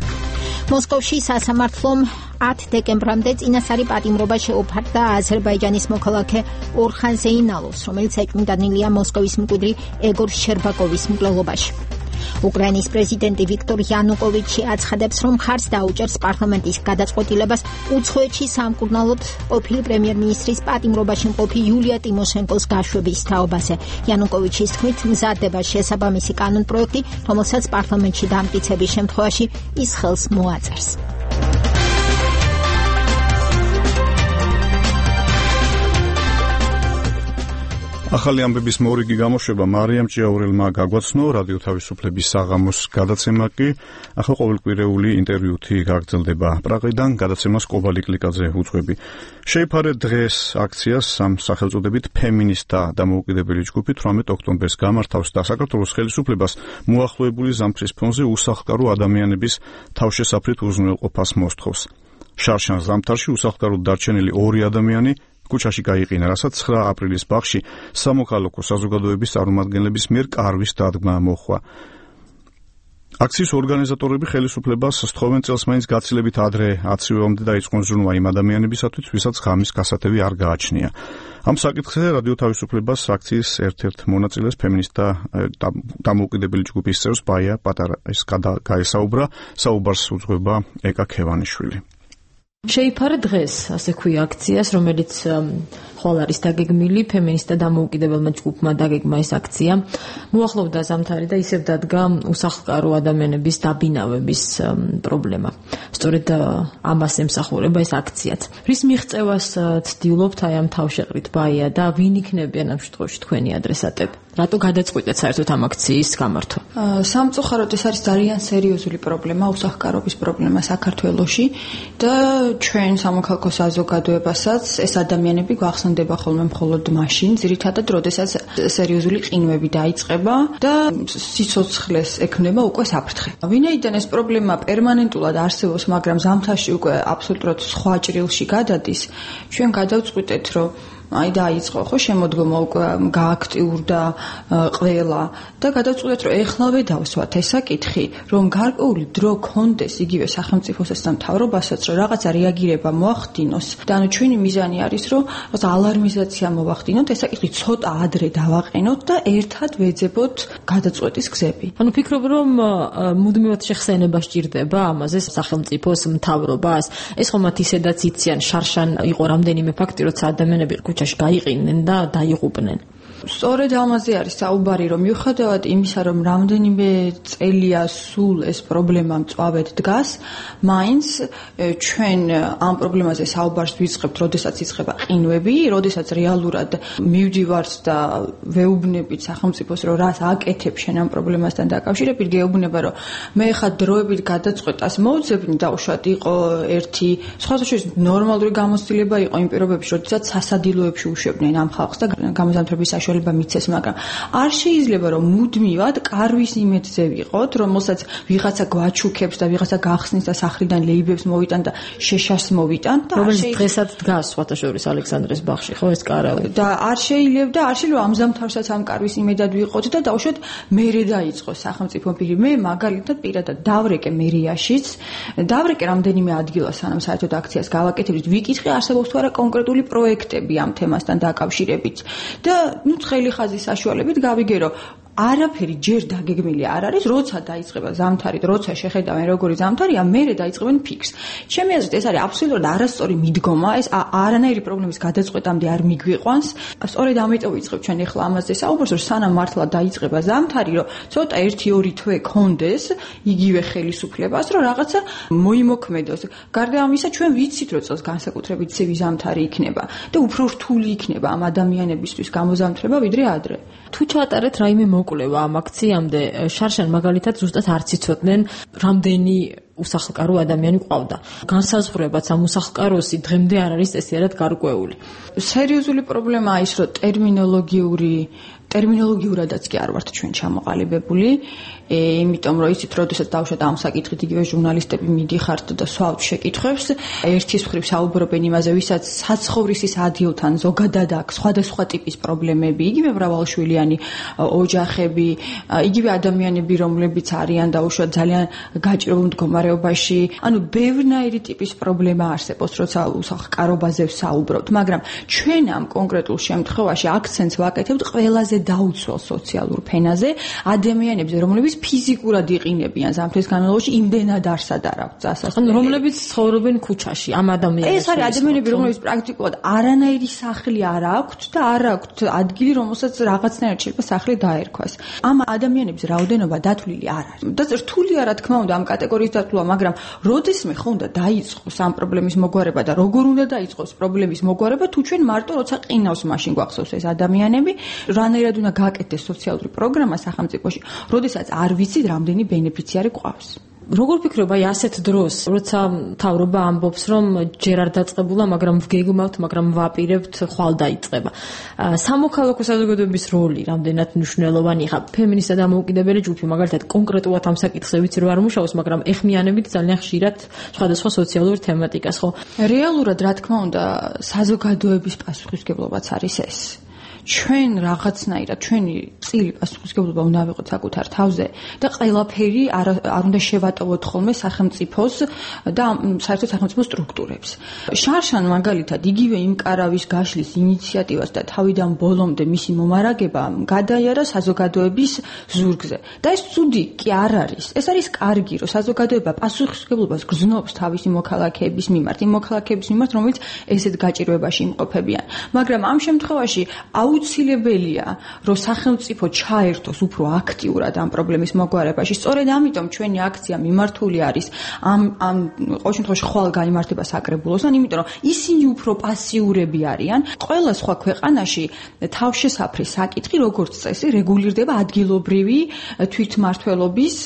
მოსკოვში სასამართლომ 10 დეკემბრამდე წინასწარი პატიმრობა შეუფარდა აზერბაიჯანის მოქალაქე ორხან ზეინალოვს, რომელიც ეკმდანილია მოსკოვის მკვიდრი ეგორ შერბაკოვის მკვლელობაში. უკრაინის პრეზიდენტი ვიქტორ იანუკოვიჩი აცხადებს, რომ ხარს დაუჭერს პარლამენტის გადაწყვეტილებას უცხოეთში სამკურნალოდ ყოფილი პრემიერ-მინისტრის პატიმრობაში მყოფი იულია ტიმოშენკოს გაშვების თაობაზე. იანუკოვიჩის თქმით, მზადდება შესაბამისი კანონპროექტი, რომელსაც პარლამენტში დამტკიცების შემთხვევაში ის ხელს მოაწერს. ახალი ამბების მორიგი გამოშვება მარიამ ჭიაურელმა გაგვაცნო, რადიო თავისუფლების საღამოს გადაცემა კი ახლა ყოველკვირეული ინტერვიუთი გაგრძელდება. პრაღიდან გადაცემას კობალი კლიკაძე უძღვები. შეიფარე დღეს აქციას ამ სახელწოდებით ფემინისტთა დამოუკიდებელი ჯგუფი 18 ოქტომბერს გამართავს და საქართველოს ხელისუფლებას მოახლოებული ზამთრის ფონზე უსახლკარო ადამიანების თავშესაფრით უზრუნველყოფას მოსთხოვს. შარშან ზამთარში უსახლკაროდ დარჩენილი 2 ადამიანი კუჩაში გაიყინა, რასაც 9 აპრილის ბაღში სამოქალაქო საზოგადოების წარმომადგენლების მიერ კარვის დადგმა მოხდა. აქციის ორგანიზატორები ხელისუფლებას სთხოვენ წელს მაინც გაცილებით ადრე აცივემდე დაიწყონ ზრუნვა იმ ადამიანებისათვის, ვისაც ღამის გასათევი არ გააჩნია. ამ საკითხზე რადიო თავისუფლებას აქციის ერთ-ერთ მონაწილეს ფემინისტთა დამოუკიდებელი ჯგუფის წევს ბაია პატარაის გაესაუბრა, საუბარს უძღვება ეკა ქევანიშვილი. შეიფარე დღეს, ასე ქვია აქციას, რომელიც ხვალ არის დაგეგმილი, ფემინისტთა დამოუკიდებელმა ჯგუფმა დაგეგმა ეს აქცია. მოახლოვდა ზამთარი და ისევ დადგა უსახლკარო ადამიანების დაბინავების პრობლემა. სწორედ ამას ემსახურება ეს აქციაც. რის მიღწევას ცდილობთ აი ამ თავშეყრით ბაია და ვინ იქნებიან ამ შემთხვევაში თქვენი ადრესატები? რატო გადაწყვიტეთ საერთოდ ამ აქციის გამართვა? სამწუხაროდ ეს არის ძალიან სერიოზული პრობლემა, უსახლკარობის პრობლემა საქართველოში და ჩვენ სამოქალაქო საზოგადოებასაც ეს ადამიანები გვახსენდება ხოლმე მხოლოდ მაშინ, ძირითადად, როდესაც სერიოზული ყინვები დაიწყება და სიცოცხლეს ექნება უკვე საფრთხე. ვინაიდან ეს პრობლემა პერმანენტულად არსებობს, მაგრამ ზამთარში უკვე აბსოლუტურად სხვა ჭრილში გადადის, ჩვენ გადავწყვიტეთ, რომ აი დაიწყო ხო შემოდგომა უკვე გააქტიურდა ყველა და გადავწყვეტეთ რომ ეხლავე დავსვათ ეს საკითხი რომ გარკვეული დრო კონდეს იგივე სახელმწიფოსაც და მთავრობასაც რომ რაღაცა რეაგირება მოახდინოს და ანუ ჩვენი მიზანი არის რომ რაღაც ალარმიზაცია მოვახდინოთ ეს საკითხი ცოტა ადრე დავაყენოთ და ერთად ვეძებოთ გადაწყვეტის გზები. ანუ ფიქრობ რომ მუდმივად შეხსენება სჭირდება ამაზე სახელმწიფოს მთავრობას ეს ხომ მათ ისედაც იციან შარშან იყო რამდენიმე ფაქტი როცა ადამიანები ქუჩაში გაიყინენ და დაიღუპნენ. სწორედ ამაზე არის საუბარი რომ მიუხედავად იმისა რომ რამდენიმე წელია სულ ეს პრობლემა მწვავედ დგას მაინც ჩვენ ამ პრობლემაზე საუბარს ვიწყებთ როდესაც იწყება ყინვები როდესაც რეალურად მივდივართ და ვეუბნებით სახელმწიფოს რომ რას აკეთებ შენ ამ პრობლემასთან დაკავშირებით გეუბნება რომ მე ხა დროებით გადაწყვეტას მოვძებნი დაუშვათ იყო ერთი სხვადასხვა ნორმალური გამოცდილება იყო იმ პირობებში როდესაც სასადილოებში უშვებდნენ ამ ხალხს და გამოზამთრების მიცეს, მაგრამ არ შეიძლება რომ მუდმივად კარვის იმედზე ვიყოთ, რომელსაც ვიღაცა გვაჩუქებს და ვიღაცა გახსნის და სახრიდან ლეიბებს მოვიტან და შეშას მოვიტან და რომელიც დღესაც დგას სხვათაშორის ალექსანდრეს ბაღში, ხო ეს კარავი. და არ შეიძლება ამ ამზამთარსაც ამ კარვის იმედად ვიყოთ და დაუშვათ მერე დაიწყოს სახელმწიფო პირი. მე მაგალითად პირადად დავრეკე მერიაშიც, დავრეკე რამდენიმე ადგილას სანამ საერთოდ აქციას გავაკეთებთ, ვიკითხე არსებობს თუ არა კონკრეტული პროექტები ამ თემასთან დაკავშირებით და ხელი ხაზის საშუალებით გავიგერო არაფერი ჯერ დაგეგმილი არ არის, როცა დაიწყება ზამთარი, როცა შეხედავენ როგორი ზამთარია, მერე დაიწყებენ ფიქს. ჩემი აზრით ეს არის აბსოლუტურად არასწორი მიდგომა, ეს არანაირი პრობლემის გადაწყვეტამდე არ მიგვიყვანს. სწორედ ამიტომ ვიწყებ ჩვენ ახლა ამაზე საუბარს, რომ სანამ მართლა დაიწყება ზამთარი, რომ ცოტა 1-2 თვე კონდეს იგივე ხელისუფლებას, რომ რაღაცა მოიმოქმედოს. გარდა ამისა, ჩვენ ვიცით, რომ წელს განსაკუთრებით ცივი ზამთარი იქნება და უფრო რთული იქნება ამ ადამიანებისთვის გამოზამთრება ვიდრე ადრე. თუ ჩაატარეთ რაიმე მოკვლევა ამ აქციამდე შარშან მაგალითად ზუსტად არ ციცოდნენ რამდენი უსახლკარო ადამიანი ყავდა. განსაზღვრებაც ამ უსახლკაროსი დღემდე არ არის წესიერად გარკვეული. სერიოზული პრობლემაა ის, რომ ტერმინოლოგიურადაც კი არ ვართ ჩვენ ჩამოყალიბებული, იმიტომ რომ იცით, როდესაც დავუშვათ ამ საკითხით იგივე ჟურნალისტები მიდიხართ და სვავთ შეკითხვებს, ერთის მხრივ საუბრობენ იმაზე, ვისაც საცხოვრისის ადგილთან ზოგადად აქვს სხვადასხვა ტიპის პრობლემები, იგივე მრავალშვილიანი ოჯახები, იგივე ადამიანები, რომლებიც არიან დავუშვათ ძალიან გაჭირებულ მდგომარეობაში, ანუ ბევრნაირი ტიპის პრობლემა არსებობს, როცა უსახლკარობაზე ვსაუბრობთ, მაგრამ ჩვენ ამ კონკრეტულ შემთხვევაში აქცენტს ვაკეთებთ ყველაზე დაუცველ სოციალურ ფენაზე, ადამიანებზე, რომლებიც ფიზიკურად იყინებიან ზამთრის განმავლობაში, იმდენად არსად არ აქვს წასასვლელი. რომლებიც ცხოვრობენ ქუჩაში, ამ ადამიანებს. ეს არის ადამიანები, რომლებიც პრაქტიკულად არანაირი სახლი არ აქვთ და არ აქვთ ადგილი, რომელსაც რაღაცნაირად შეიძლება სახლი დაერქვას. ამ ადამიანების რაოდენობა დათვლილი არ არის. და რთულია რა თქმა უნდა ამ კატეგორიის დათვლა, მაგრამ როდესმე ხო უნდა დაიწყოს ამ პრობლემის მოგვარება და როგორ უნდა დაიწყოს პრობლემის მოგვარება, თუ ჩვენ მარტო როცა ყინავს მაშინ გვახსოვს ეს ადამიანები, რანაირად უნდა გააკეთდეს სოციალური პროგრამა სახელმწიფოში, როდესაც არ ვიცით რამდენი ბენეფიციარი გვყავს. როგორ ფიქრობ, აი ასეთ დროს, როცა მთავრობა ამბობს, რომ ჯერ არ დაწყებულა, მაგრამ ვგეგმავთ, მაგრამ ვაპირებთ, ხვალ დაიწყება. სამოქალაქო საზოგადოების როლი რამდენად მნიშვნელოვანი ხა ფემინისტთა დამოუკიდებელი ჯგუფი, მაგალითად, კონკრეტულად ამ საკითხზე ვიცი რომ არ მუშაობს, მაგრამ ეხმიანებით ძალიან ხშირად სხვადასხვა სოციალურ თემატიკას, ხო? რეალურად, რა თქმა უნდა, საზოგადოების პასუხისმგებლობაც არის ეს. ჩვენ რაღაცნაირად ჩვენი წილი პასუხისმგებლობა უნდა ვიყოთ საკუთარ თავზე და ყველაფერი არ უნდა შევატოვოთ ხოლმე სახელმწიფოს და საერთოდ სახელმწიფო სტრუქტურებს. შარშან მაგალითად იგივე იმ კარავის გაშლის ინიციატივას და თავიდან ბოლომდე მისი მომარაგება გადაიარა საზოგადოების ზურგზე. და ეს ცუდი კი არ არის. ეს არის კარგი, რომ საზოგადოება პასუხისმგებლობას გრძნობს თავისი მოქალაქეების მიმართ, იმ მოქალაქეების მიმართ, რომელიც ესეთ გაჭირვებაში იმყოფებიან. მაგრამ ამ შემთხვევაში აუცილებელია, რომ სახელმწიფო ჩაერთოს უფრო აქტიურად ამ პრობლემის მოგვარებაში. სწორედ ამიტომ ჩვენი აქცია მიმართული არის ამ ყოველ შემთხვევაში ხვალ გაიმართება საკრებულოსთან, იმიტომ რომ ისინი უფრო პასიურები არიან. ყველა სხვა ქვეყანაში თავშესაფრის საკითხი, როგორც წესი, რეგულირდება ადგილობრივი თვითმმართველობის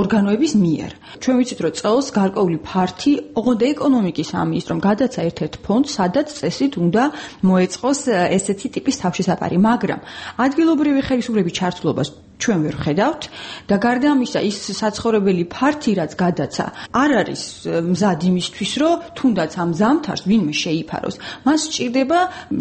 ორგანოების მიერ. ჩვენ ვიცით, რომ წელს გარკვეული ფართი, ოღონდ ეკონომიკის სამინისტრომ გადაცა ერთ-ერთ ფონდს, სადაც წესით უნდა მოეწყოს ესეთი ტიპის თავშესაფარი, მაგრამ ადგილობრივი ხელისუფლების ჩართულობას ჩვენ ვერ ხედავთ და გარდა ამისა ის საცხოვრებელი ფართი რაც გადაცა არ არის მზად იმისთვის რომ თუნდაც ამ ზამთარს ვინმე შეიფაროს მას სჭირდება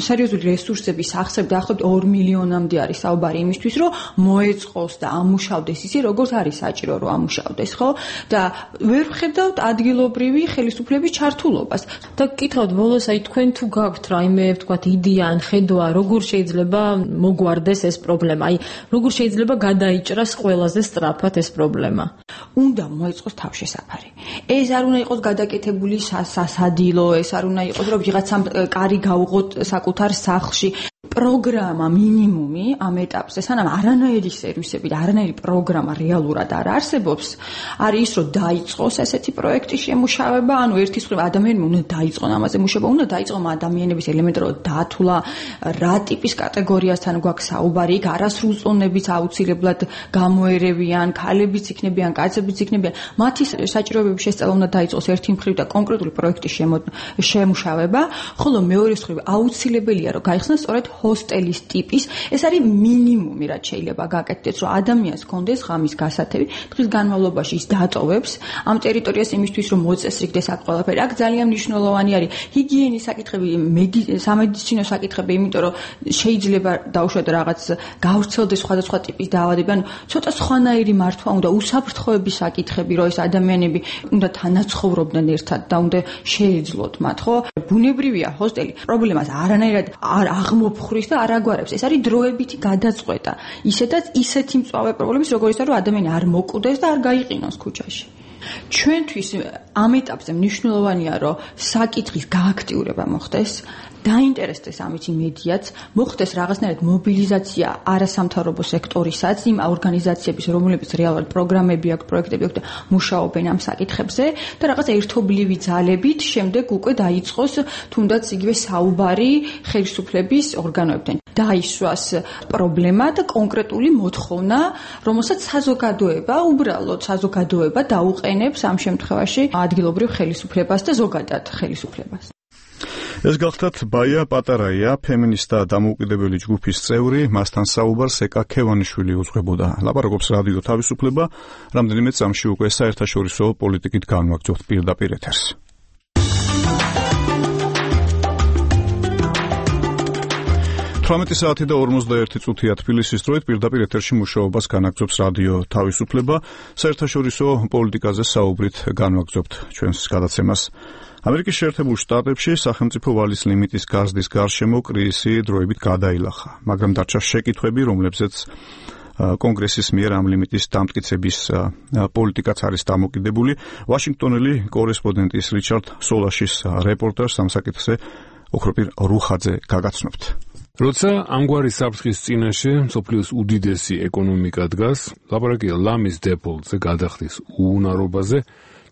სერიოზული რესურსების აღწევ დაახლოებით 2 მილიონამდე არის საუბარი იმისთვის რომ მოეწყოს და ამუშავდეს ისე როგორც არის საჭირო რომ ამუშავდეს ხო და ვერ ხედავთ ადგილობრივი ხელისუფლების ჩართულობას და გკითხავთ ბოლოს აი თქვენ თუ გაქვთ რაიმე ვთქვათ იდეა ან ხედვა როგორ შეიძლება მოგვარდეს ეს პრობლემა აი როგორ შეიძლება გადაიჭრას ყველაზე სწრაფად ეს პრობლემა უნდა მოეწყოს თავშესაფარი ეს არ უნდა იყოს გადაკეთებული სასადილო ეს არ უნდა იყოს რომ ვიღაცამ კარი გაუღოთ საკუთარ სახლში პროგრამა მინიმუმი ამ ეტაპზე სანამ არანაირი სერვისები და არანაირი პროგრამა რეალურად არ არსებობს არის ის რომ დაიწყოს ესეთი პროექტის შემუშავება ანუ ერთის მხრივ ადამიანები უნდა დაიწყონ ამაზე მუშაობა უნდა დაიწყონ ადამიანების ელემენტარულად დათვლა რა ტიპის კატეგორიასთან გვაქვს საუბარი იქ არასრულწლოვნებიც აუცილებლად გამოერევიან ქალებიც იქნებიან კაცებიც იქნებიან მათი საჭიროებების შესწავლა უნდა დაიწყოს ერთი მხრივ და კონკრეტული პროექტის შემუშავება ხოლო მეორე მხრივ აუცილებელია რომ გაიხსნას სწორედ ჰოსტელის ტიპის ეს არის მინიმუმი რაც შეიძლება გაკეთდეს რომ ადამიანს ჰქონდეს ღამის გასათევი დღის განმავლობაში ის დატოვებს ამ ტერიტორიას იმისთვის რომ მოწესრიგდეს აქ ყველაფერი აქ ძალიან მნიშვნელოვანი არის ჰიგიენის საკითხები სამედიცინო საკითხები იმიტომ რომ შეიძლება დაუშვათ რაღაც გავრცელდეს სხვადასხვა ტიპის დაავადებები ანუ ცოტა სხვანაირი მართვა უნდა უსაფრთხოების საკითხები რომ ეს ადამიანები უნდა თანაცხოვრობდნენ ერთად და უნდა შეეძლოთ მათ ხო ბუნებრივია ჰოსტელი პრობლემას არანაირად არ აღმოფხრის და არ აგვარებს ეს არის დროებითი გადაწყვეტა ისედაც ისეთი მწვავე პრობლემის როგორ ისა რომ ადამიანი არ მოკვდეს და არ გაიყინოს ქუჩაში ჩვენთვის ამ ეტაპზე მნიშვნელოვანია რომ საკითხის გააქტიურება მოხდეს დაინტერესდეს ამით მედიაც მოხდეს რაღაცნაირად მობილიზაცია არასამთავრობო სექტორისაც იმ ორგანიზაციების რომლებიც რეალურად პროგრამები აქვს პროექტები აქვს და მუშაობენ ამ საკითხებზე და რაღაც ერთობლივი ძალებით შემდეგ უკვე დაიწყოს თუნდაც იგივე საუბარი ხელისუფლების ორგანოებთან დაისვას პრობლემა და კონკრეტული მოთხოვნა რომელსაც საზოგადოება უბრალოდ საზოგადოება დაუყენებს ამ შემთხვევაში ადგილობრივ ხელისუფლებას და ზოგადად ხელისუფლებას ეს გახლდათ ბაია პატარაია, ფემინისტა დამოუკიდებელი ჯგუფის წევრი, მასთან საუბარს ეკა ქევანიშვილი უძღვებოდა. ლაპარაკობს რადიო თავისუფლება, რამდენიმე წამში უკვე საერთაშორისო პოლიტიკით განვაგრძობთ პირდაპირ ეთერს. 18 საათი და 51 წუთია თბილისის დროით პირდაპირ ეთერში მუშაობას განაგრძობს რადიო თავისუფლება, საერთაშორისო პოლიტიკაზე საუბრით განვაგრძობთ ჩვენს გადაცემას. ამერიკის შეერთებულ შტატებში სახელმწიფო ვალის ლიმიტის გაზრდის გარშემო კრიზისი დროებით გადაილახა, მაგრამ დარჩა შეკითხვები, რომლებზეც კონგრესის მიერ ამ ლიმიტის დამტკიცების პოლიტიკაც არის დამოკიდებული. ვაშინგტონელი კორესპონდენტის რიჩარდ სოლაშის რეპორტაჟს ამ საკითხზე ოქროპირ რუხაძე გაგაცნობთ. როცა ამგვარი საფრთხის წინაშე მსოფლიოს უდიდესი ეკონომიკა დგას, ლაპარაკია ლამის დეფოლტზე გადახდის უუნარობაზე,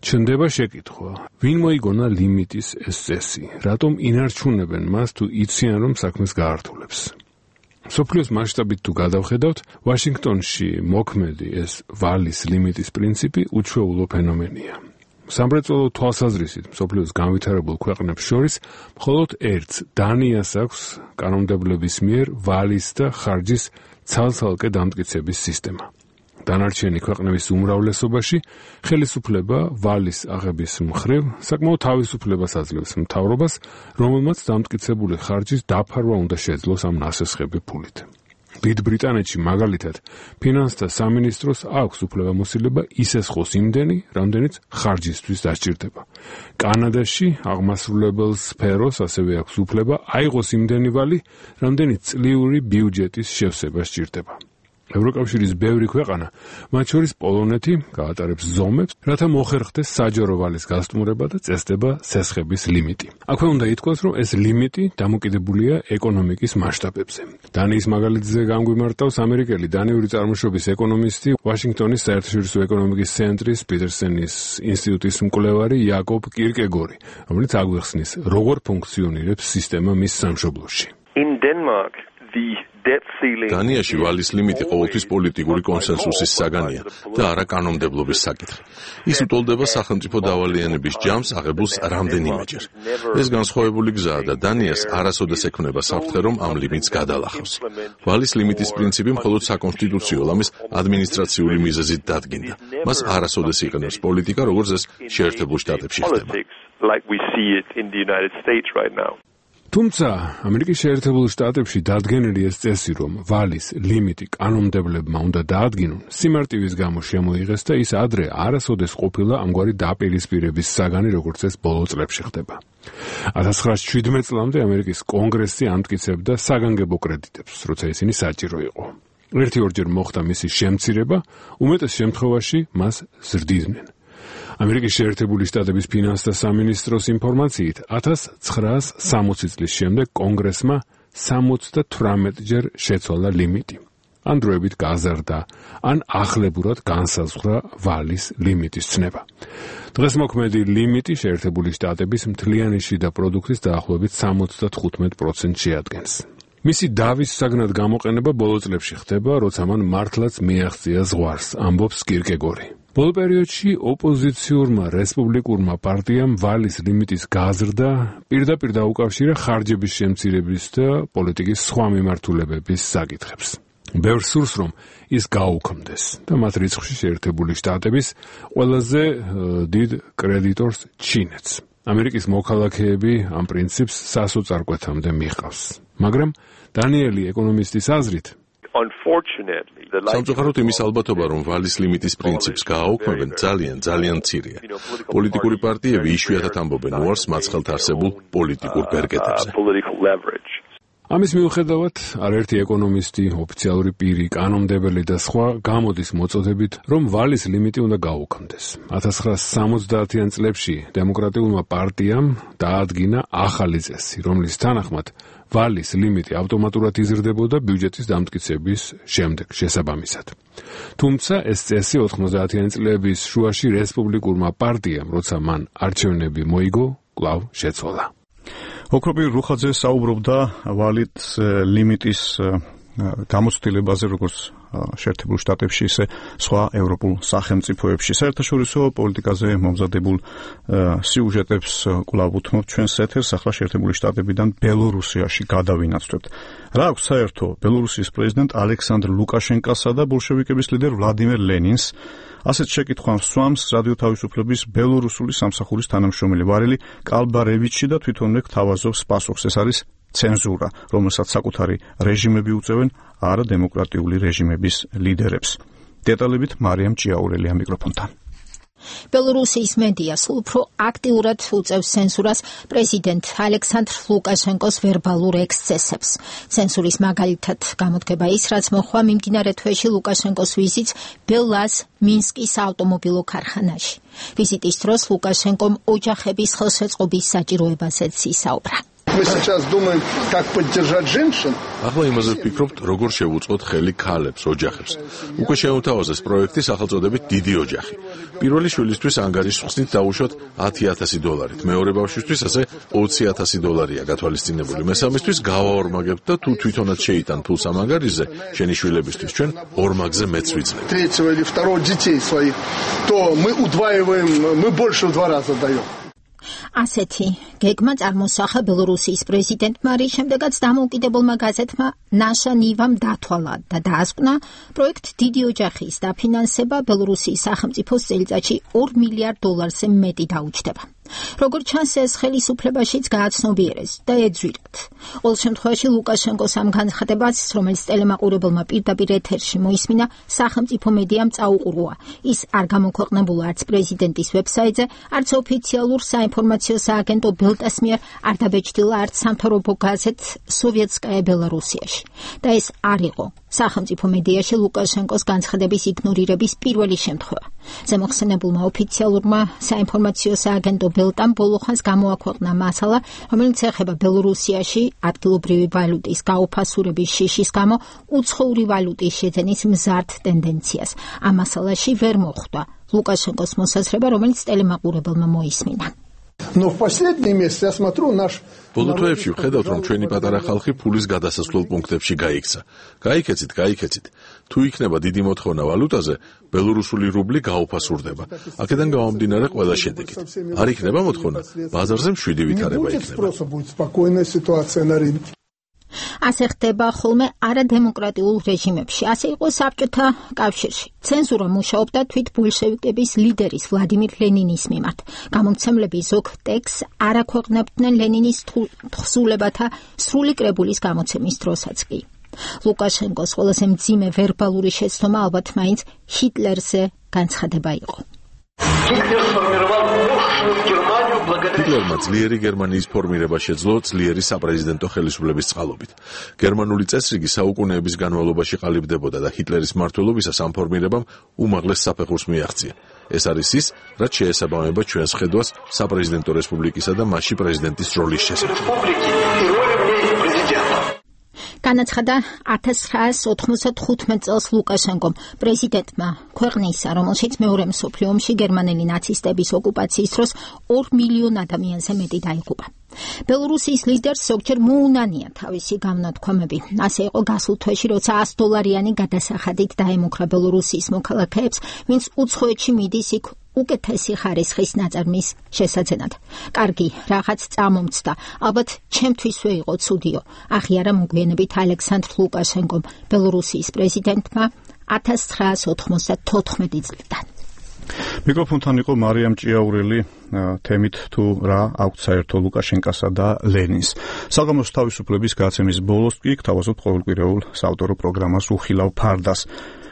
ჩნდება შეკითხვა, ვინ მოიგონა ლიმიტის ეს წესი, რატომ ინარჩუნებენ მას თუ იციან რომ საქმეს გაართულებს. მსოფლიოს მასშტაბით თუ გადავხედავთ, ვაშინგტონში მოქმედი ეს ვალის ლიმიტის პრინციპი უჩვეულო ფენომენია. სამრეწველო თვალსაზრისით მსოფლიოს განვითარებულ ქვეყნებს შორის მხოლოდ ერთს დანიას აქვს კანონმდებლობის მიერ ვალის და ხარჯის ცალ-ცალკე დამტკიცების სისტემა. დანარჩენი ქვეყნების უმრავლესობაში ხელისუფლება ვალის აღების მხრივ საკმაოდ თავისუფლებას აძლევს მთავრობას, რომელმაც დამტკიცებული ხარჯის დაფარვა უნდა შეძლოს ამ ნასესხები ფულით. დიდ ბრიტანეთში მაგალითად ფინანსთა სამინისტროს აქვს უფლებამოსილება ისესხოს იმდენი, რამდენიც ხარჯისთვის დასჭირდება. კანადაში აღმასრულებელ სფეროს ასევე აქვს უფლება აიღოს იმდენი ვალი, რამდენიც წლიური ბიუჯეტის შევსება სჭირდება. ევროკავშირის ბევრი ქვეყანა, მათ შორის პოლონეთი, გაატარებს ზომებს, რათა მოხერხდეს საჯარო ვალის გასტუმრება და წესდება სესხების ლიმიტი. აქვე უნდა ითქვას, რომ ეს ლიმიტი დამოკიდებულია ეკონომიკის მასშტაბებზე. დანიის მაგალითზე განგვიმარტავს ამერიკელი დანიური წარმოშობის ეკონომისტი, ვაშინგტონის საერთაშორისო ეკონომიკის ცენტრის პიტერსენის ინსტიტუტის მკვლევარი იაკობ კირკეგორი, რომელიც აგვიხსნის, როგორ ფუნქციონირებს სისტემა მის სამშობლოში. In Denmark, დანიაში ვალის ლიმიტი ყოველთვის პოლიტიკური კონსენსუსის საგანია და არა კანონმდებლობის საკითხი. ის უტოლდება სახელმწიფო დავალიანების ჯამს აღებულს რამდენიმეჯერ. ეს განსხვავებული გზაა და დანიას არასოდეს ექმნება საფრთხე, რომ ამ ლიმიტს გადალახავს. ვალის ლიმიტის პრინციპი მხოლოდ საკონსტიტუციო ლამის ადმინისტრაციული მიზეზით დადგინდა. მას არასოდეს იყენებს პოლიტიკა, როგორც ეს შეერთებულ შტატებში ხდება. თუმცა ამერიკის შეერთებულ შტატებში დადგენილი ეს წესი, რომ ვალის ლიმიტი კანონმდებლებმა უნდა დაადგინონ, სიმარტივის გამო შემოიღეს და ის ადრე არასოდეს ყოფილა ამგვარი დაპირისპირების საგანი, როგორც ეს ბოლო წლებში ხდება. 1917 წლამდე ამერიკის კონგრესი ამტკიცებდა საგანგებო კრედიტებს, როცა ისინი საჭირო იყო. ერთი-ორჯერ მოხდა მისი შემცირება, უმეტეს შემთხვევაში მას ზრდიდნენ. ამერიკის შეერთებული შტატების ფინანსთა სამინისტროს ინფორმაციით 1960 წლის შემდეგ კონგრესმა 78ჯერ შეცვალა ლიმიტი. ან დროებით გაზარდა, ან ახლებურად განსაზღვრა ვალის ლიმიტის ცნება. დღეს მოქმედი ლიმიტი შეერთებული შტატების მთლიანი შიდა პროდუქტის დაახლოებით 75% შეადგენს. მისი დავის საგნად გამოყენება ბოლო წლებში ხდება, როცა მან მართლაც მიაღწია ზღვარს, ამბობს კირკეგორი. ბოლო პერიოდში ოპოზიციურმა რესპუბლიკურმა პარტიამ ვალის ლიმიტის გაზრდა პირდაპირ დაუკავშირა ხარჯების შემცირების და პოლიტიკის სხვა მიმართულებების საკითხებს. ბევრს სურს, რომ ის გაუქმდეს და მათ რიცხვში შეერთებული შტატების ყველაზე დიდ კრედიტორს ჩინეთს. ამერიკის მოქალაქეები ამ პრინციპს სასოწარკვეთამდე მიჰყავს. მაგრამ დანიელი ეკონომისტის აზრით, სამწუხაროდ იმის ალბათობა, რომ ვალის ლიმიტის პრინციპს გააუქმებენ, ძალიან მცირეა. პოლიტიკური პარტიები იშვიათად ამბობენ უარს მაცხელთ არსებულ პოლიტიკურ ბერკეტებზე. ამის მიუხედავად, არაერთი ეკონომისტი, ოფიციალური პირი, კანონმდებელი და სხვა გამოდის მოწოდებით, რომ ვალის ლიმიტი უნდა გაუქმდეს. 1970-იან წლებში დემოკრატიულმა პარტიამ დაადგინა ახალი წესი, რომლის თანახმად ვალის ლიმიტი ავტომატურად იზრდებოდა ბიუჯეტის დამტკიცების შემდეგ შესაბამისად. თუმცა ეს წესი 90-იანი წლების შუაში რესპუბლიკურმა პარტიამ, როცა მან არჩევნები მოიგო, კვლავ შეცვალა. ოქროპირ რუხაძე საუბრობდა ვალით ლიმიტის გამოცდილებაზე, როგორც შეერთებულ შტატებში, ისე სხვა ევროპულ სახელმწიფოებში. საერთაშორისო პოლიტიკაზე მომზადებულ სიუჟეტებს კვლავ უთმობთ ჩვენს ეთერს. ახლა შეერთებული შტატებიდან ბელორუსიაში გადავინაცვლებთ. რა აქვს საერთო ბელორუსიის პრეზიდენტ ალექსანდრ ლუკაშენკასა და ბოლშევიკების ლიდერ ვლადიმერ ლენინს? ასეთ შეკითხვას სვამს რადიო თავისუფლების ბელორუსული სამსახურის თანამშრომელი ვარელი კალბარევიჩი და თვითონვე გთავაზობს პასუხს. ეს არის ცენზურა, რომელსაც საკუთარი რეჟიმები უწევენ არადემოკრატიული რეჟიმების ლიდერებს. დეტალებით მარიამ ჭიაურელი ამ მიკროფონთან. ბელორუსიის მედია სულ უფრო აქტიურად უწევს ცენზურას პრეზიდენტ ალექსანდრ ლუკაშენკოს ვერბალურ ექსცესებს. ცენზურის მაგალითად გამოდგება ის, რაც მოხდა მიმდინარე თვეში ლუკაშენკოს ვიზიტს ბელას მინსკის ავტომობილო ქარხანაში. ვიზიტის დროს ლუკაშენკომ ოჯახების ხელშეწყობის საჭიროებაზეც ისაუბრა. Мы сейчас думаем, как поддержать женщин. ახლა იმაზე ვფიქრობთ, როგორ შევუწყოთ ხელი ქალებს, ოჯახებს. უკვე შეუთავაზეს პროექტი სახელწოდებით დიდი ოჯახი. პირველი შვილისთვის ანგარიშს ხსნით დაუშვათ $10,000, მეორე ბავშვისთვის ასე $20,000 გათვალისწინებული. მესამისთვის გავაორმაგებთ და თუ თვითონაც შეიტან ფულს ამ ანგარიშზე, შენი შვილებისთვის ჩვენ ორმაგზე მეც ვიძლევთ. Третьего или второго детей своих, то мы удваиваем, мы больше в 2 раза даем. ასეთი გეგმა წარმოსახა ბელორუსიის პრეზიდენტმა, რის შემდეგაც დამოუკიდებელმა გაზეთმა ნაშა ნივამ დათვალა და დაასკვნა პროექტ დიდი ოჯახის დაფინანსება ბელორუსიის სახელმწიფოს წელიწადში $2 მილიარდზე მეტი დაუჯდება. როგორც ჩანს, ეს ხელისუფლებაშიც გააცნობიერეს და ეძვირათ. ყოველ შემთხვევაში ლუკაშენკოს ამ განცხადებას, რომელიც ტელემაყურებელმა პირდაპირ ეთერში მოისმინა, სახელმწიფო მედიამ წაუყურა. ის არ გამოქვეყნებულა არც პრეზიდენტის ვებსაიტზე, არც ოფიციალურ საინფორმაციო სააგენტო ბელტას მიერ, არ დაბეჭდილა არც სამთავრობო გაზეთ სოვიეტსკაია ბელარუსიაში. და ეს არ იყო სახელმწიფო მედიაში ლუკაშენკოს განცხადების იგნორირების პირველი შემთხვევა. ზემოხსენებულმა ოფიციალურმა საინფორმაციო სააგენტო ბელტამ ბოლოხანს გამოაქვეყნა მასალა, რომელიც ეხება ბელორუსიაში ადგილობრივი ვალუტის გაუფასურების შიშის გამო უცხოური ვალუტის შეძენის მზარდ ტენდენციას. ამ მასალაში ვერ მოხვდა ლუკაშენკოს მოსაზრება, რომელიც ტელემაყურებელმა მოისმინა. Но в последние месяцы я смотрю наш ბოლო თვეებში ვხედავთ, რომ ჩვენი პატარა ხალხი ფულის გადასასვლელ პუნქტებში გაიქცა. გაიქეცით. თუ იქნება დიდი მოთხოვნა ვალუტაზე, ბელორუსული რუბლი გაუფასურდება. აქედან გამომდინარე ყველა შედეგით. არ იქნება მოთხოვნა, ბაზარზე მშვიდი ვითარება იქნება. ასე ხდება ხოლმე არადემოკრატიულ რეჟიმებში. ასე იყო საბჭოთა კავშირში. ცენზურა მუშაობდა თვით ბოლშევიკების ლიდერის ვლადიმირ ლენინის მიმართ. გამომცემლები ზოგ ტექსტს არ აქვეყნებდნენ ლენინის თხზულებათა სრული კრებულის გამოცემის დროსაც კი. ლუკაშენკოს ყველაზე მძიმე ვერბალური შეცდომა ალბათ მაინც ჰიტლერზე განცხადება იყო. ჰიტლერმა ძლიერი გერმანიის ფორმირება შეძლო ძლიერი საპრეზიდენტო ხელისუფლების წყალობით. გერმანული წესრიგი საუკუნეების განმავლობაში ყალიბდებოდა და ჰიტლერის მმართველობისას ამ ფორმირებამ უმაღლეს საფეხურს მიაღწია. ეს არის ის, რაც შეესაბამება ჩვენს ხედვას საპრეზიდენტო რესპუბლიკისა და მასში პრეზიდენტის როლის შესახებ. განაცხადა 1995 წელს ლუკაშენკომ პრეზიდენტმა ქვეყნისა, რომელშიც მეორე მსოფლიო ომში გერმანელი ნაცისტების ოკუპაციის დროს 2 მილიონ ადამიანზე მეტი დაიღუპა. ბელორუსიის ლიდერს ზოგჯერ მოუნანია თავისი გამონათქვამები. ასე იყო გასულ თვეში, როცა $100 გადასახადით დაემუქრა ბელორუსიის მოქალაქეებს, ვინც უცხოეთში მიდის იქ უკეთესი ხარისხის ნაწარმის შესაძენად. კარგი, რაღაც წამომცდა, ალბათ ჩემთვისვე იყო ცუდიო. აღიარა მოგვიანებით ალექსანდრ ლუკაშენკომ, ბელორუსიის პრეზიდენტმა 1994 წლიდან. მიკროფონთან იყო მარიამ ჭიაურელი თემით თუ რა აქვთ საერთო ლუკაშენკასა და ლენინს. საგამოს თავისუფლების გაცემის ბოლოს კი გთავაზობთ ყოველკვირეულ საავტორო პროგრამას უხილავ ფარდას.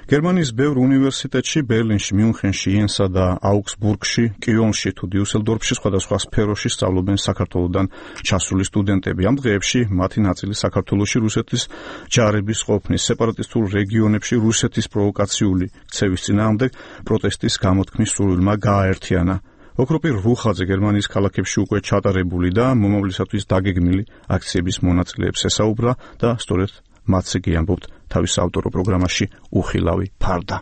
გერმანიის ბევრ უნივერსიტეტში, ბერლინში, მიუნხენში, იენსა და აუგსბურგში, კიოლნში თუ დიუსელდორფში სხვადასხვა სფეროში სწავლობენ საქართველოდან ჩასული სტუდენტები. ამ დღეებში მათი ნაწილი საქართველოში რუსეთის ჯარების ყოფნის, სეპარატისტულ რეგიონებში რუსეთის პროვოკაციული ქცევის წინააღმდეგ პროტესტის გამოთქმის სურვილმა გააერთიანა. ოქროპირ რუხაძე გერმანიის ქალაქებში უკვე ჩატარებული და მომავლისათვის დაგეგმილი აქციების მონაწილეებს ესაუბრა და სწორედ მათზე კი ამბობთ თავის ავტორო პროგრამაში უხილავი ფარდა.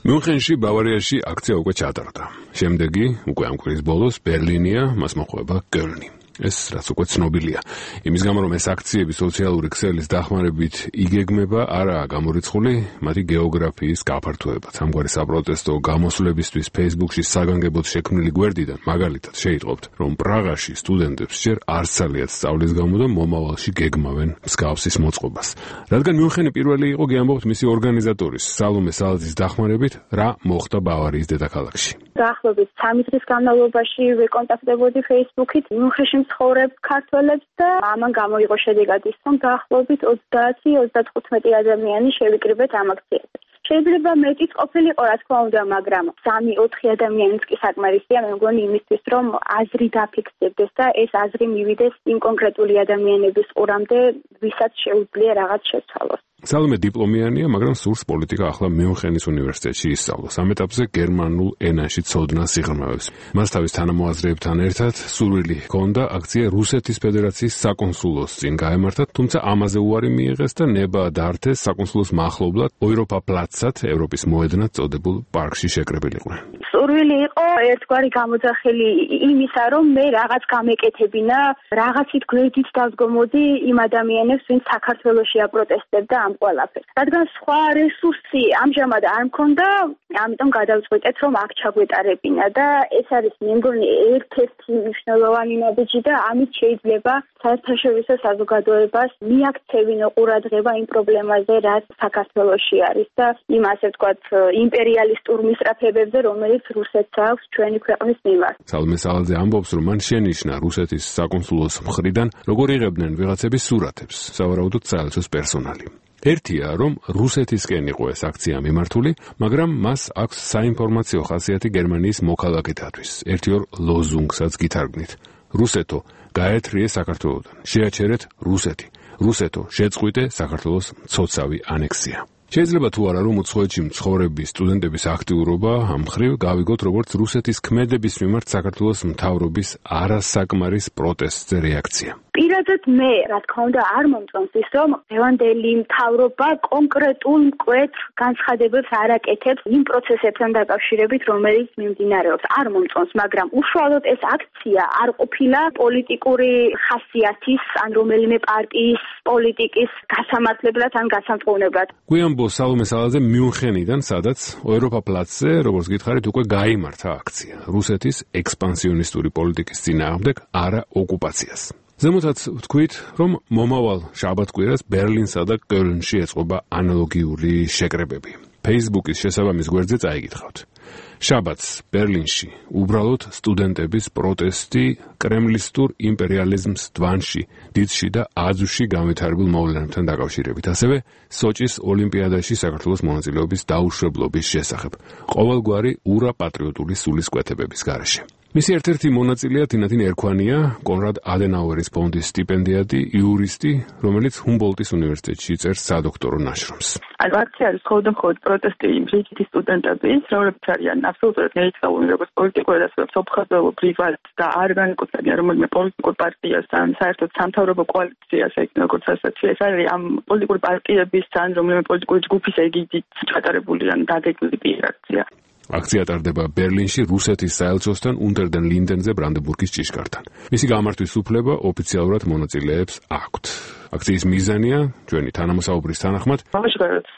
მიუნხენში, ბავარიაში აქცია უკვე ჩატარდა. შემდეგი, უკვე ამ კვირის ბოლოს ბერლინია, მას მოხვება კელნი. ეს რაც უკვე ცნობილია. იმის გამო რომ ეს აქციები სოციალური ქსელის დახმარებით იგეგმება, არაა გამორიცხული მათი გეოგრაფიის გაფართოებაც. ამგვარი საპროტესტო გამოსვლებისთვის Facebook-ში საგანგებოდ შექმნილი გვერდიდან მაგალითად შეიტყობთ, რომ პრაღაში სტუდენტებს ჯერ არ სცალიათ სწავლის გამო და მომავალში გეგმავენ მსგავსის მოწყობას. რადგან მიუნხენი პირველი იყო, გიამბობთ მისი ორგანიზატორის სალომე სალაძის დახმარებით, რა მოხდა ბავარიის დედაქალაქში. დაახლოებით 3 დღის განმავლობაში ვიკონტაქტდებოდი Facebook-ით მიუნხენში ცხოვრებ ქართველებს და ამან გამოიღო შედეგად ის, რომ დაახლოებით 20-35 ადამიანი შევიკრიბეთ ამ აქციაზე. შეიძლება მეტიც ყოფილიყო, რა თქმა უნდა, მაგრამ 3-4 ადამიანიც კი საკმარისია, მე მგონი იმისთვის, რომ აზრი დაფიქსირდეს და ეს აზრი მივიდეს იმ კონკრეტული ადამიანების ყურამდე, ვისაც შეუძლია რაღაც შეცვალოს. სალომე დიპლომიანია, მაგრამ სურს პოლიტიკა ახლა მიუნხენის უნივერსიტეტში ისწავლოს. ამ ეტაპზე გერმანულ ენაში ცოდნას იღრმავებს. მას თავის თანამოაზრეებთან ერთად სურვილი ჰქონდა აქცია რუსეთის ფედერაციის საკონსულოს წინ გაემართა, თუმცა ამაზე უარი მიიღეს და ნება დაართეს საკონსულოს მახლობლად ოიროპა პლაცად, ევროპის მოედნად წოდებულ პარკში შეკრებილიყვნენ. სურვილი იყო ერთგვარი გამოძახილი იმისა, რომ მე რაღაც გამეკეთებინა, რაღაცით გვერდით დავსგომოდი იმ ადამიანებს, ვინც საქართველოში აპროტესტებდა ამ ყველაფერს. რადგან სხვა რესურსი ამჟამად არ მქონდა, ამიტომ გადავწყვიტეთ, რომ აქ ჩაგვეტარებინა და ეს არის მე მგონი ერთ-ერთი მნიშვნელოვანი ნაბიჯი და ამით შეიძლება საერთაშორისო საზოგადოებას მიაქცევინო ყურადღება იმ პრობლემაზე, რაც საქართველოში არის და იმ ასე ვთქვათ იმპერიალისტურ მისწრაფებებზე, რომელიც რუსეთს აქვს ჩვენი ქვეყნის მიმართ. სალომე სალაძე ამბობს, რომ მან შენიშნა რუსეთის საკონსულოს მხრიდან, როგორ იღებდნენ ვიღაცების სურათებს, სავარაუდოდ საელჩოს პერსონალი. ერთია, რომ რუსეთისკენ იყო ეს აქცია მიმართული, მაგრამ მას აქვს საინფორმაციო ხასიათი გერმანიის მოქალაქეთათვის. ერთ-ორ ლოზუნგსაც გითარგმნით. რუსეთო, გაერთრიე საქართველოდან. შეაჩერეთ რუსეთი. რუსეთო, შეწყვიტე საქართველოს მცოცავი ანექსია. შეიძლება თუ არა რომ უცხოეთში მცხოვრები სტუდენტების აქტიურობა ამ მხრივ გავიგოთ როგორც რუსეთის ქმედების მიმართ საქართველოს მთავრობის არასაკმარის პროტესტზე რეაქცია. პირადად მე, რა თქმა უნდა, არ მომწონს ის, რომ დღევანდელი მთავრობა კონკრეტულ მკვეთრ განცხადებებს არ აკეთებს იმ პროცესებთან დაკავშირებით, რომელიც მიმდინარეობს. არ მომწონს, მაგრამ უშუალოდ ეს აქცია არ ყოფილა პოლიტიკური ხასიათის ან რომელიმე პარტიის პოლიტიკის გასამართლებლად ან გასამწყოვნებლად. გვიანბო სალომე სალაძე მიუნხენიდან, სადაც ევროპა-პლაცზე, როგორც გითხარით, უკვე გაიმართა აქცია რუსეთის ექსპანსიონისტური პოლიტიკის წინააღმდეგ არა ოკუპაციას. ზემოთაც ვთქვით, რომ მომავალ შაბათ-კვირას ბერლინსა და კოლნში ეწყობა ანალოგიური შეკრებები. Facebook-ის შესაბამის გვერდზე წაიგითხავთ. შაბათს ბერლინში უბრალოდ სტუდენტების პროტესტი კრემლისტურ იმპერიალიზმს დვანში, დიცში და აზუში განვითარებულ მოვლენებთან დაკავშირებით. ასევე სოჭის ოლიმპიადაში საქართველოს მონაწილეობის დაუშვებლობის შესახებ. ყოველგვარი ურაპატრიოტული სულისკვეთებების გარეშე. მისი ერთ-ერთი მონაწილეა თინათინ ერქვანია, კონრად ადენაუერის ფონდის სტიპენდიატი, იურისტი, რომელიც ჰუმბოლტის უნივერსიტეტში წერს სადოქტორო ნაშრომს. აქცია არის მხოლოდ პროტესტი რიგითი სტუდენტების, რომლებიც არიან აბსოლუტურად ნეიტრალური, როგორც პოლიტიკური და სოფხაზოვო პრივატ და არ განეკუთვნებიან რომელიმე პოლიტიკურ პარტიას ან საერთოდ სამთავრობო კოალიციას, როგორც ასეთი. ეს არის ამ პოლიტიკური პარტიების ან რომელიმე პოლიტიკური ჯგუფის ეგიდით ჩატარებული ან დაგეგმილი აქცია. აქცია ტარდება ბერლინში რუსეთის საელჩოსთან უნტერდენ ლინდენზე ბრანდენბურგის ჭიშკართან. მისი გამართვის უფლება ოფიციალურად მონაწილეებს აქვთ. აქციის მიზანია ჩვენი თანამოსაუბრის თანახმად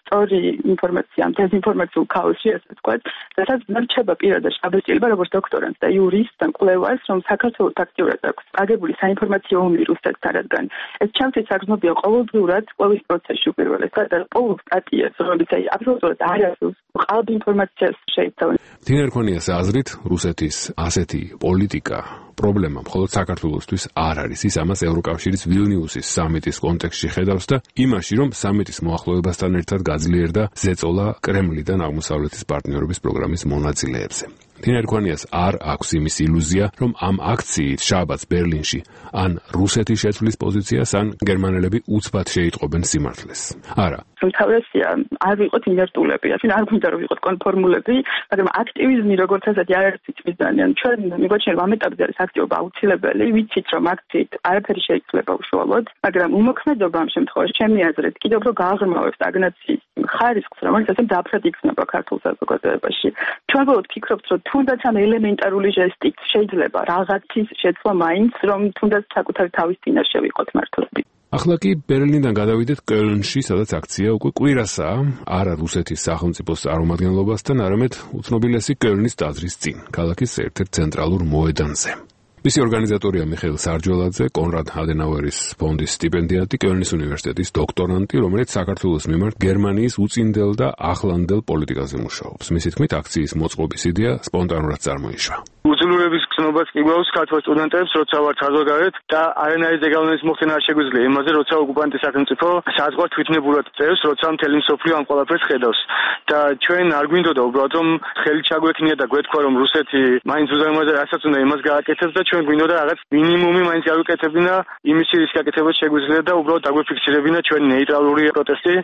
სწორი ინფორმაცია ამ დეзинფორმაციულ ქაოსში, ასე ვთქვათ, რასაც მერჩება პირადად შაბეჭდილება როგორც დოქტორანტს და იურისტს ან კვლევარს, რომ საქართველოს აქტიურად აქვს აგებული საინფორმაციო ომი რუსეთთან, რადგან ეს ჩემთვის საგრძნობია ყოველდღიურად კვლევის პროცესში უპირველეს და ყოველ სტატიას, რომელიც აბსოლუტურად არ არის ყალბ ინფორმაციას შეიცავენ. თინა ერქვანიას აზრით, რუსეთის ასეთი პოლიტიკა პრობლემა მხოლოდ საქართველოსთვის არ არის. ის ამას ევროკავშირის ვილნიუსის სამიტის კონტექსტში ხედავს და იმაში, რომ სამიტის მოახლოებასთან ერთად გაძლიერდა ზეწოლა კრემლიდან აღმოსავლეთის პარტნიორობის პროგრამის მონაწილეებზე. თინა ერქვანიას არ აქვს იმის ილუზია, რომ ამ აქციით შაბათს ბერლინში ან რუსეთი შეცვლის პოზიციას, ან გერმანელები უცბად შეიტყობენ სიმართლეს. არა. თავისია არ ვიყოთ ინერტულები, არ გვინდა რომ ვიყოთ კონფორმულები, მაგრამ აქტივიზმი როგორც ასეთი არ არის მიზანი. ჩვენ მიგვაჩნია რომ ამ ეტაპზე არის აქტივობა აუცილებელი, ვიცით რომ აქციით არაფერი შეიძლება უშუალოდ, მაგრამ უმოქმედობა ამ შემთხვევაში ჩემი აზრით კიდევ უფრო გააღრმავებს სტაგნაციის ხარისხს, რომელიც ასე მძაფრად იქნება ქართულ საზოგადოებაში. ჩვენ ბოლოდ ფიქრობთ, რომ თუნდაც ამ ელემენტარული ჟესტით შეიძლება რაღაცის შეცვლა მაინც, რომ თუნდაც საკუთარი თავის წინაშე ვიყოთ მართლები. ახლა კი ბერლინიდან გადავიდეთ კოლნში, სადაც აქცია უკვე კვირასაა, არა რუსეთის სახელმწიფოს წარმომადგენლობასთან, არამედ უცნობილესი კოლნის ტაძრის წინ, ქალაქის ერთ-ერთ ცენტრალურ მოედანზე. მისი ორგანიზატორია მიხეილ სარჯველაძე, კონრად ადენაუერის ფონდის სტიპენდიატი, კოლნის უნივერსიტეტის დოქტორანტი, რომელიც საქართველოს მიმართ გერმანიის უწინდელ და ახლანდელ პოლიტიკაზე მუშაობს. მისი თქმით, აქციის მოწყობის იდეა სპონტანურად წარმოიშვა. უძლურების გზნობას კი გვაქვს ქართულ სტუდენტებს, როცა ვართ საზოგადოებრივ და არანაირი ზეგავლენის მოხდენა არ შეგვიძლია იმაზე, როცა ოკუპანტის სახელმწიფო საზღვართ თვითნებურად წერს, როცა მთელი მსოფლიო ამ ყველაფერს ხედავს. და ჩვენ არ გვინდოდა უბრალოდ რომ ხელი ჩაგვექნია და გვეთქვა რომ რუსეთი მაინც უზარმაზარ რასაც უნდა იმას გააკეთებს და ჩვენ გვინდოდა რაღაც მინიმუმი მაინც გავიკეთებინა იმის რის გაკეთებას შეგვიძლია და უბრალოდ დაგვიფიქსირებინა ჩვენი ნეიტრალური პროტესტი.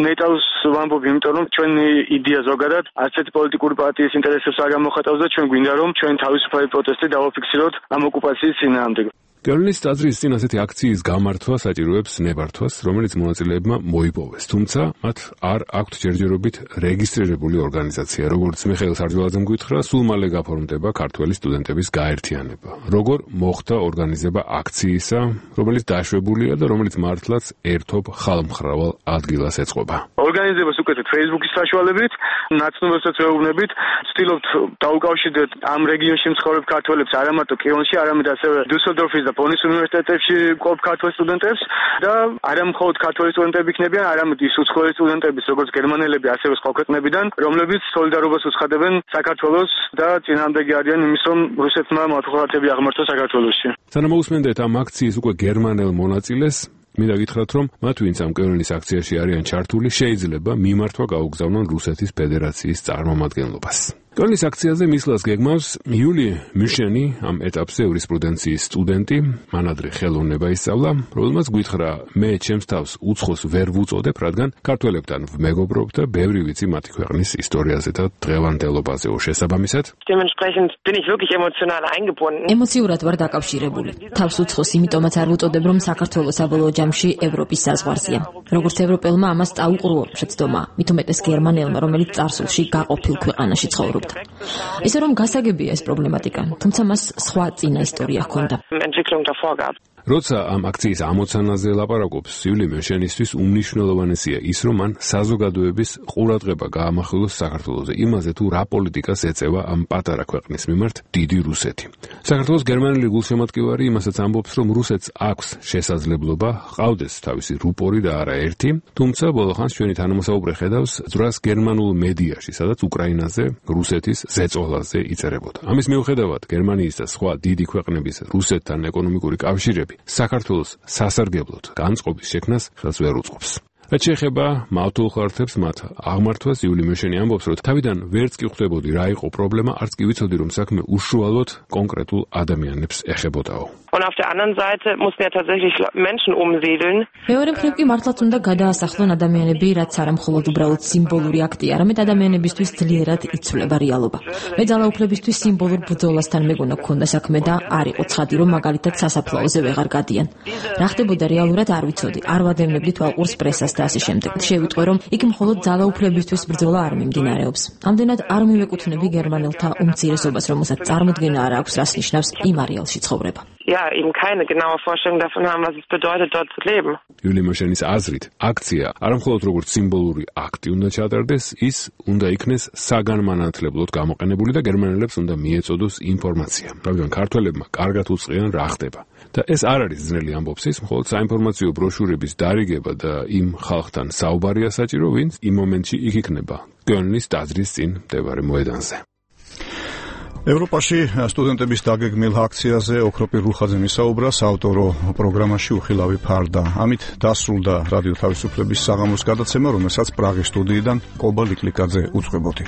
ნეიტრალს ვამბობ, იმიტომ რომ ჩვენი იდეა ზოგადად ასეთი პოლიტიკური პარტიის ინტერესებს არ გამოხატავს და ჩვენ გვინდა რომ ჩვენ თავისუფალი პროტესტი დავაფიქსიროთ ამ ოკუპაციის წინააღმდეგ. კოლნის ტაძრის წინ ასეთი აქციის გამართვა საჭიროებს ნებართვას, რომელიც მონაწილეებმა მოიპოვეს. თუმცა მათ არ აქვთ ჯერჯერობით რეგისტრირებული ორგანიზაცია. როგორც მიხეილ სარჯველაძემ გითხრა, სულ მალე გაფორმდება ქართველი სტუდენტების გაერთიანება. როგორ მოხდა ორგანიზება აქციისა, რომელიც დაშვებულია და რომელიც მართლაც ერთობ ხალხმრავალ ადგილას ეწყობა. ორგანიზებას უკეთებთ Facebook-ის საშუალებით, ნაცნობებსაც ვეუბნებით, ვცდილობთ დაუკავშირდეთ ამ რეგიონში მცხოვრებ ქართველებს არა მარტო კიევში, არამედ ასევე დუსელდორფის და ბონის უნივერსიტეტებში მყოფ ქართველ სტუდენტებს და არა მხოლოდ ქართველი სტუდენტები იქნებიან, არამედ ის უცხოელი სტუდენტების, როგორც გერმანელები, ასევე სხვა ქვეყნებიდან, რომლებიც სოლიდარობას უცხადებენ საქართველოს და წინააღმდეგი არიან იმის, რომ რუსეთმა მოახერხებები აღმართოს საქართველოში. სანამ მოусმენდეთ ამ აქციის უკვე გერმანელ მონაწილეს, მინდა გითხრათ, რომ მათ ვინც ამ კოლნის აქციაში არიან ჩართული, შეიძლება მიმართვა გაუგზავნონ რუსეთის ფედერაციის წარმომადგენლობას. კოლნის აქციაზე მისვლას გეგმავს იული მიშენი, ამ ეტაპზე იურისპრუდენციის სტუდენტი, მანადრე ხელოვნება ისწავლა, რომელმაც გითხრა, მე ჩემს თავს უცხოს ვერ ვუწოდებ, რადგან ქართველებთან ვმეგობრობ და ბევრი ვიცი მათი ქვეყნის ისტორიაზე და დღევანდელობაზე. შესაბამისად, dementsprechend bin ich wirklich emotional eingebunden. ემოციურად ვარ დაკავშირებული. თავს უცხოს იმიტომაც არ ვუწოდებ, რომ საქართველოს საბოლოო ჯამში ევროპის საზღვარზეა. როგორც ევროპელმა ამას დაუყურო შეცდომა, მით უმეტეს გერმანელმა, რომელიც წარსულში გაყოფილ ქვეყანაში ცხოვრობდა. ისე რომ გასაგებია ეს პრობლემატიკა, თუმცა მას სხვა წინა ისტორია ჰქონდა. როცა ამ აქციის ამოცანაზე ლაპარაკობს, იული მიშენისთვის უმნიშვნელოვანესია ის, რომ მან საზოგადოების ყურადღება გაამახვილოს საქართველოზე, იმაზე თუ რა პოლიტიკას ეწევა ამ პატარა ქვეყნის მიმართ დიდი რუსეთი. საქართველოს გერმანელი გულშემატკივარი იმასაც ამბობს, რომ რუსეთს აქვს შესაძლებლობა ჰყავდეს თავისი რუპორი და არა ერთი, თუმცა ბოლოხანს ჩვენი თანამოსაუბრე ხედავს ძვრას გერმანულ მედიაში, სადაც უკრაინაზე, რუსეთის ზეწოლაზე იწერებოდა. ამის მიუხედავად, გერმანიის და სხვა დიდი ქვეყნების რუსეთთან ეკონომიკური კავშირები საქართველოს სასარგებლოდ განწყობის შექმნას ხელს ვერ უწყობს. რაც შეეხება მავთულ ხარჯებს მათ აღმართვას, იული მიშენი ამბობს, რომ თავიდან ვერც კი ხვდებოდი რა იყო პრობლემა, არც კი ვიცოდი, რომ საქმე უშუალოდ კონკრეტულ ადამიანებს ეხებოდაო. Und auf der anderen Seite mussten ja tatsächlich Menschen umsiedeln. მეორე მხრივ კი მართლაც უნდა გადაასახლონ ადამიანები, რაც არა მხოლოდ უბრალოდ სიმბოლური აქტია, არამედ ადამიანებისთვის ძლიერად იცვლება რეალობა. მე ძალაუფლებისთვის სიმბოლურ ბრძოლასთან მეგონა გქონდა საქმე და არ იყო ცხადი, რომ მაგალითად სასაფლაოზე ვეღარ გადიან. რა ხდებოდა რეალურად არ ვიცოდი. არ ვადევნებდი თვალყურს პრესას და ასე შემდეგ. შევიტყვე, რომ იქ მხოლოდ ძალაუფლებისთვის ბრძოლა არ მიმდინარეობს. ამდენად არ მივეკუთვნები გერმანელთა უმცირესობას, რომელსაც წარმოდგენა არ აქვს, რას ნიშნავს იმ არეალში ცხოვრება. Ja, eben keine genaue Vorstellung davon haben, was es bedeutet, dort zu leben. იული მიშენის აზრით, აქცია არამხოლოდ როგორც სიმბოლური აქტი უნდა ჩატარდეს, ის უნდა იქნეს საგანმანათლებლოდ გამოყენებული და გერმანელებს უნდა მიეწოდოს ინფორმაცია. რადგან ქართველებმა კარგად უწყიან რა ხდება. და ეს არ არის ძნელი ამბობს ის, მხოლოდ საინფორმაციო ბროშურების დარიგება და იმ ხალხთან საუბარია საჭირო, ვინც იმ მომენტში იქ იქნება კოლნის ტაძრის წინ მდებარე მოედანზე. ევროპაში სტუდენტების დაგეგმილ აქციაზე ოქროპირ რუხაძემ ისაუბრა საავტორო პროგრამაში უხილავი ფარდა. ამით დასრულდა რადიო თავისუფლების საღამოს გადაცემა, რომელსაც პრაღის სტუდიიდან კობა ლიკლიკაძე უწყებოდი.